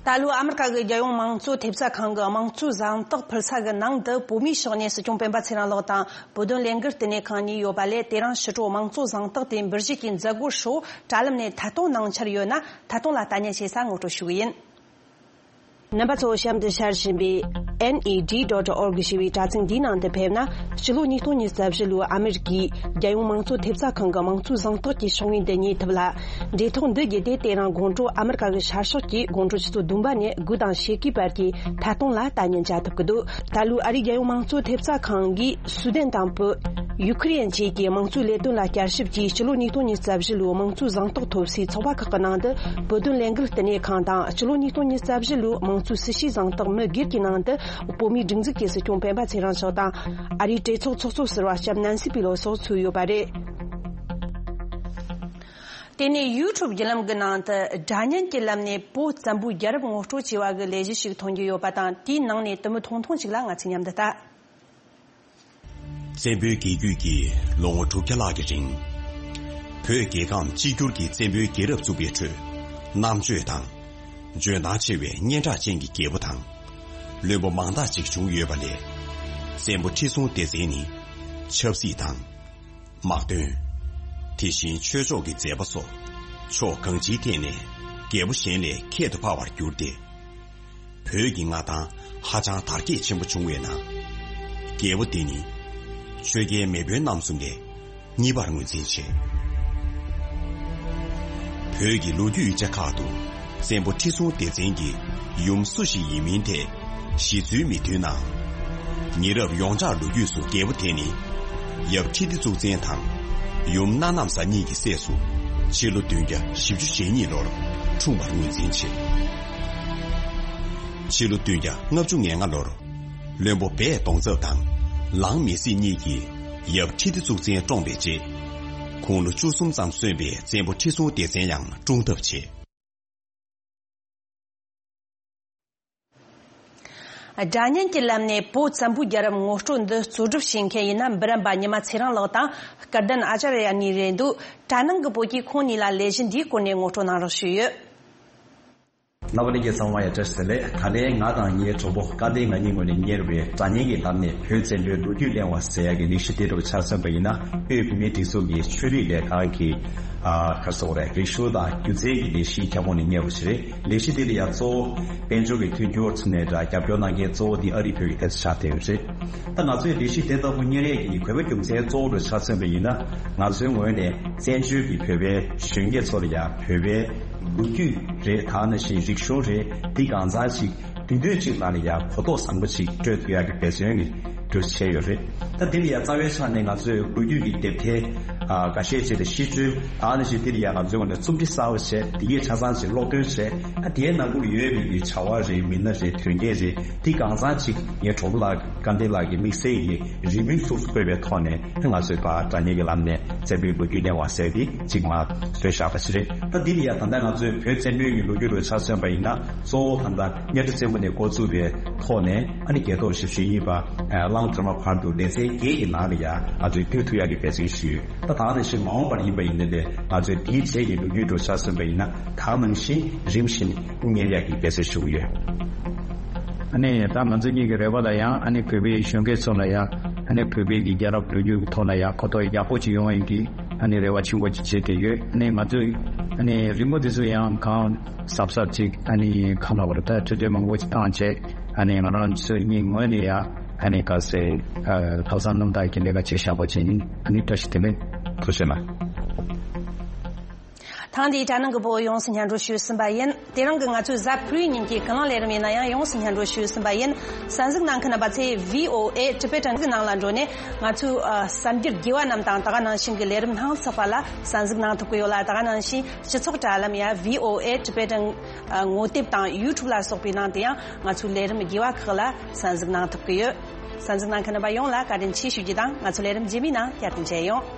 ད་ལོའི་ཨ་མི་རི་ཀ་གི་རྒྱལ་ཡོངས་མང་གཙོ་ཐེབས་རྩ་ཁང་གི་དམངས་གཙོའི་གཟེངས་རྟགས་ཕུལ་ས་གི་ནང་དུ་བོད་མིའི་ཕྱག་གནས་སྲིད་སྐྱོང་སྤེན་པ་ཚེ་རིང་ལགས་དང་། བོད་དོན་ལས་འགུལ་བསྟི་གནས་ཁང་གཉིས་ཡོད་པ་ལས། དེ་རིང་ཕྱི་དྲོ་དམངས་གཙོ་གཟེངས་རྟགས་དེ་འབུལ་བཞེས་ཀྱི་མཛད་སྒོར་ཧྲིལ་བོ་དྲ་ལམ་ནས་ཐད་གཏོང་གནང་འཆར་ཡོད་ན། ཐད་གཏོང་ལ་ལྟ་ཉན་བྱེད་ས་ངོ་སྤྲོད་ཞུ་གི་ཡིན། རྣམ་པ་ཚོ་གཤམ་དུ་ཤར་བཞིན་པའི་ནེ་ཌི་ཌོ་ཊི་ཨོར་གི་ཞེས་པའི་དྲ་ཚིགས་འདིའི་ནང་དུ་ཕེབས་ན། ཕྱི་ལོ་ཉིས་སྟོང་ཉི་ཤུ་རྩ་བཞི་ལོའི་ཨ་མི་རི་ཀའི་རྒྱལ་ཡོངས་མང་གཙོ་ཐེབས་རྩ་ཁང་གི་དམངས་གཙོའི་གཟེངས་རྟགས་ཀྱི་ཕྱག་དངུལ་འདི་རྙེད་ཐུབ་ལ། འབྲེལ་ཐོག་འདི་བརྒྱུད་དེ་དེ་རིང་དགོང་དྲོ་ཨ་མི་རི་ཀ་གི་ཤར་ཕྱོགས་ཀྱི་དགོང་དྲོ་ཆུ་ཚོད་བདུན་པ་ནས་དགུ་དང་ཕྱེད་ཀའི་བར་གྱི་ཐད་གཏོང་ལ་ལྟ་ཉན་བྱ་ཐུབ་ཀྱི་འདུག་ད་ལོའི་ཨ་རིའི་རྒྱལ་ཡོངས་མང་གཙོ་ཐེབས་རྩ་ཁང་གིས་སུའུ་དན་དང་བོད། ཡུ་ཁུ་རེན་བཅས་ཀྱི་དམངས་གཙོའི་ལས་དོན་ལ་བསྐྱར་ཞིབ་ཀྱིས་ཕྱི་ལོ་ཉིས་སྟོང་ཉི་ཤུ་རྩ་བཞི་ལོའི་དམངས་གཙོའི་གཟེངས་རྟགས་ཐོབ་སའི་ཚོགས་པ་ཁག་གི་ནང་དུ་བོད་དོན་ལས་འགུལ་བསྟི་གནས་ཁང་དང་། ཕྱི་ལོ་ཉིས་སྟོང་ཉི་ཤུ་རྩ་བཞི་ལོའི་དམངས་གཙོའི་སྲི་ཞུའི་གཟེངས་རྟགས་མི་སྒེར་གྱི་ནང་དུ་བོད་མིའི་སྒྲིག་འཛུགས་ཀྱི་སྲིད་སྐྱོང་སྤེན་པ་ཚེ་རིང་མཆོག་དང་། ཨ་རིའི་གྲོས་ཚོགས་ཚོགས་གཙོ་ཟུར་པ་ལྕམ་ནན་སི་པི་ལོ་སོགས་ཚུད་ཡོད་པ་རེད། དེ་ནས་ཡུ་ཊུབ་བརྒྱུད་ལམ་གྱི་ནང་དུ་སྒྲ་སྙན་གྱི་ལམ་ནས་བོད་བཙན་པོའི་རྒྱལ་རབས་ངོ་སྤྲོད་བྱས་པ་གི་ལས་གཞི་ཞིག་ཐོན་གྱི་ཡོད་པ་དང་། དེའི་ནང་ནས་དུ་མི་ཐུང་ཐུང་ཅིག་ལ་ང་ཚོས་མཉམ་དུ་ལྟ། བཙན་པོའི་རྒྱལ་རྒྱུད་ཀྱིས་ལོ་ངོ་དྲུག་བརྒྱ་ལྷག་གི་རིང་། བོད་རྒྱལ་ཁམས་གཅིག་གྱུར་གྱི་བཙན་པོའི་རྒྱལ་རབས་བཙུགས་པའི་ཁྲོད། རྣམ་དཔྱོད་དང་། འཇོན་ཐང་ཆེ་བའི་སྙན་གྲགས་ཅན་གྱི་རྒྱལ་པོ་དང་། བློན་པོ་མང་དག་ཅིག་བྱུང་ཡོད་པ་ལས། བཙན་པོ་ཁྲི་སྲོང་ལྡེ་བཙན་ནི། ཆབ་སྲིད་དང་། དམག་དོན། དེ་བཞིན་ཆོས་ཕྱོགས་ཀྱི་མཛད་པ་སོགས། ཕྱོགས་གང་ཅིའི་ཐད་ནས། རྒྱལ་པོ་གཞན་ལས་ཁྱད་དུ་འཕགས་པར་གྱུར་ཏེ། བོད་ཀྱི་མངའ་ཐང་ཧ་ཅང་དར་རྒྱས་ཆེན་པོ་བྱུང་བའི་ནང་། རྒྱལ་པོ་འདི་ནི་ཆོས་རྒྱལ་མེས་དབོན་རྣམ་གསུམ་ལས་གཉིས་པར་ངོས་འཛིན་བྱེད། བོད་ཀྱི་ལོ་རྒྱུས་ཡིག་ཆ་ཁག་ཏུ་བཙན་པོ་ཁྲི་སྲོང་ལྡེ་བཙན་གྱི་ཡུམ་སུ་ཞིག་ཡིན་མིན་ཐད་ཞེ་ཚུལ་མི་མཐུན་ནའང་། ཉེ་རབས་ཡོངས་གྲགས་ལོ་རྒྱུས་སུ་རྒྱལ་པོ་དེ་ནི་ཡབ་ཁྲི་ལྡེ་གཙུག་བཙན་དང་ཡུམ་སྣ་ནམ་བཟའ་གཉིས་ཀྱི་སྲས་སུ་ཕྱི་ལོ་བདུན་བརྒྱ་བཞི་བཅུ་ཞེ་གཉིས་ལོར་འཁྲུངས་པར་ངོས་འཛིན་བྱེད། ཕྱི་ལོ་བདུན་བརྒྱ་ལྔ་བཅུ་ང་ལྔ་ལོར་བློན་པོ་སྦས་གདོང་ཚབ་དང་ལང་མེ་སྲིད་གཉིས་ཀྱིས་ཡབ་ཁྲི་ལྡེ་གཙུག་བཙན་བཀྲོངས་པའི་རྗེས། དགུང་ལོ་བཅུ་གསུམ་ཙམ་སོན་པའི་བཙན་པོ་ཁྲི་སྲོང་ལྡེ་བཙན་ཡང་བཀྲོངས་ཐབས་བྱེད། སྒྲ་སྙན་གྱི་ལམ་ནས་བོད་བཙན་པོའི་རྒྱལ་རབས་ངོ་སྤྲོད་འདི་གཙོ་སྒྲུབ་བྱེད་མཁན་ཡིན་ན། འབུམ་རམས་པ་ཉི་མ་ཚེ་རིང་ལགས་དང་སྐལ་ལྡན་ཨ་ཅཱརྱ་གཉིས་རེད་འདུག་དྲ་ནང་གི་བོད་ཀྱིས་ཁོང་གཉིས་ལ་ལས་གཞི་འདིའི་སྐོར་ནས་ངོ་སྤྲོད་གནང་རོགས་ཞུས་ཡོད། རྣམ་པ་ལྷན་རྒྱས་ཚང་མ་ཡང་བཀྲ་ཤིས་བདེ་ལེགས། ད་ལན་ང་དང་ངའི་གྲོགས་པོ་སྐལ་ལྡན་ང་གཉིས་ངོས་ནས་གཉེར་བའི་སྒྲ་སྙན་གྱི་ལམ་ནས་བོད་བཙན་པོའི་ལོ་རྒྱུས་གླེང་བ་ཟེར་ཡག་གི་ལས་གཞི་དེ་འདྲ་ཆ་མཚོན་པ་ཡིན་ན། དབུས་བོད་མིའི་སྒྲིག་འཛུགས་ཀྱི་ཆོས་རིག་ལས་ཁང་གི་ཨ་ག་རེ་ཟེར་དགོས་རེད། རིག་གཞུང་དང་སྒྱུ་རྩལ་གྱི་ལས་གཞིའི་ཁྱབ་ཁོངས་ནས་གཉེར་བ་ཞིག་རེད། ལས་གཞི་དེ་ལ་ཡང་གཙོ་བོ་དཔལ་འབྱོར་གྱི་མཐུན་འགྱུར་ཚུགས་ནས་འདྲ། རྒྱབ་སྐྱོར་གནང་མཁན་གཙོ་བོ་དེ་ཨ་རིའི་བོད་ཀྱི་དེ་ཚོ་ཆགས་བསྡད་ཡོད་རེད། ད་ང་ཚོས་ལས་གཞི་དེ་ལྟ་བུ་གཉེར་ཡས་ཀྱི་དགོས་པ་རྒྱུ་མཚན་གཙོ་བོ་ཆ་མཚོན་པ་ཡིན་ན། ང་ཚོའི་ངོས་ནས་བཙན་བྱོལ་གྱི་བོད་པའི་གཞོན་སྐྱེས་ཚོ་ལ་ཡང་བོད་པའི་ལོ་རྒྱུས་རེད། ད་ནང་བཞིན་རིག་གཞུང་རེད། འདི་གང་ཚང་ཅིག་དུས་དུས་གཅིག་ལ་ནི་ཡང་གོ་རྟོགས་བཟང་པོ་ཅིག་སྤྲོད་ཐུབ་ཡག་གི་འབད་བརྩོན་གྱི་འདུ་བྱས་ཡོད་རེད། ད་འདི་ལ་ཡང་རྩ་བའི་ཆ་ནས་ང་ཚོས་ལོ་རྒྱུས་ཀྱི་དེབ་ཐེར་ཨ་འགའ་ཤས་ཅིག་དང་ཤིས་བརྗོད། ད་ནང་བཞིན་འདི་ལ་ཡང་ང་ཚོའི་ངོས་ནས་རྩོམ་སྒྲིག་གསར་པ་བྱས། འདི་གའི་ཆ་ཚང་ཅིག་ཀློག་འདོན་བྱས། ཨ་དེའི་ནང་ཁུལ་ཡོད་པའི་གི་བྱ་བ་རེད། མི་སྣ་རེད། དོན་རྐྱེན་རེད། འདི་གང་ཚང་ཅིག་ངའི་གྲོགས་པོ་ལགས་སྐལ་ལྡན་ལགས་ཀྱིས་དམིགས་བསལ་གྱི་རེའུ་མིག་ཚུགས་སུ་བཀོད་པའི་ཐོག་ནས་ང་ཚོས་ཕར་སྒྲ་སྙན་གྱི་ལམ་ནས་བཙན་པོའི་ལོ་རྒྱུས་གླེང་བ་ཟེར་ཏེ་གཅིག་མར་བཟོས་བཞག་པ་ཞིག་རེད། ད་འདི་ལ་ཡང་ད་ལྟ་ང་ཚོས་བོད་བཙན་པོའི་གི་ལོ་རྒྱུས་ལ་ཆ་མཚོན་པ་ཡིན་ན། གཙོ་བོ་ད་ལྟ་གཉའ་ཁྲི་བཙན་པོ་ནས་འགོ་བཙུགས་པའི་ཐོག་ནས་ཨ་ནི་རྒྱལ་ཐོབ་ཞེ་པོ་ཅིག་ཡིན་པ། གླང་དར་མ་བར་དུ་ལེ་ཚན་བརྒྱད་ཀྱི་ནང་ལ་ཡང་ང་ཚོས་བསྡུས་ཐུབ་ཡག་གི་འབད་བརྩོན་ཞུས་ཡོད། ད་ད་ནང་བཞིན་མ་འོངས་པར་ཡིན་པ་ཡིན་ནའི་ལས་ང་ཚོས་འདིའི་རྗེས་ཀྱི་ལོ་རྒྱུས་ལ་ཆ་མཚོན་པ་ཡིན་ན། ད་ནང་བཞིན་རིམ་བཞིན་གཉེར་ཡག་གི་འབད་བརྩོན་ཞུ་གི་ཡོད། ཨ་ནི་ད་ང་ཚོ་གཉིས་ཀྱི་རེ་བ་ལ་ཡང་། ཨ་ནི་བོད་པའི་གཞོན་སྐྱེས་ཚོ་ལ་ཡང་། ཨ་ནི་བོད་པའི་གི་རྒྱལ་རབས་ལོ་རྒྱུས་ཀྱི་ཐོག་ལ་ཡང་གོ་རྟོགས་ཡག་པོ་ཅིག་ཡོང་བའི་གི་ཨ་ནི་རེ་བ་ཆེན་པོ་ཅིག་བྱེད་ཀྱི་ཡོད། ཨ་ནི་ང་ཚོས་ཨ་ནི་རི་མོ་དེ་ཚོ་ཡང་གང་གཟབ་གཟབ་ཅིག་ཨ་ནི་ག་རེ་ལབ་དགོས་རེད། ད་འཕྲོད་བསྟེན་མང་པོ་ཅིག་བཏང་བྱས། ཨ་ནི་ང་རང་ཚོའི་གཉིས་ངོས་ནས་ཡང་ཨ་ནི་ག་ཟེར། ཨ་ལྷག་བསམ་རྣམ་དག་གི་ལས་ཀ་བྱེད་བཞག་པ་བྱེད་ཡིན། ཨ་ནི་བཀྲ་ཤིས་བདེ་ལེགས། ཐུགས་རྗེ་གནང་། ད་ ཐེངས་འདིའི་དྲ་ནང་གི་བོད་ཡོངས་སུ་སྙན་སྒྲོན་ཞུས་ཟིན་པ་ཡིན། དེ་རིང་གི་ང་ཚོའི་གཟའ་ཕུར་བུའི་ཉིན་གྱི་ཀུན་གླེང་ལས་རིམ་ཡིན་ན་ཡང་ཡོངས་སུ་སྙན་སྒྲོན་ཞུས་ཟིན་པ་ཡིན། གསན་གཟིགས་གནང་མཁན་རྣམ་པ་ཚོས་V O A Tibetan གི་ནང་ལ་འགྲོ་ནས་ང་ཚོའི་ཨ་གསར་འགྱུར་དགེ་བ་རྣམས་དང་ད་ག་ནང་བཞིན་གྱི་ལས་རིམ་སྣ་ཚོགས་པ་ལ་གསན་གཟིགས་གནང་ཐུབ་ཀྱི་ཡོད་ལ། ད་ག་ནང་བཞིན་སྤྱི་ཚོགས་དྲ་ལམ་ཡ་V O A Tibetan ཨ་ངོ་དེབ་དང་YouTube ལ་སོགས་པའི་ནང་དུ་ཡང་ང་ཚོའི་ལས་རིམ་དགེ་བ་ཁག་ལ་གསན་གཟིགས་གནང་ཐུབ་ཀྱི་ཡོད། གསན་གཟིགས་གནང་མཁན་རྣམ་པ་ཡོངས་ལ་བཀའ་དྲིན་ཆེ་ཞུ་རྒྱུ་དང་། ང་ཚོའི་ལས་རིམ་རྗེས་མའི་ནང་བསྐྱར་དུ་མཇལ་ཡོང་།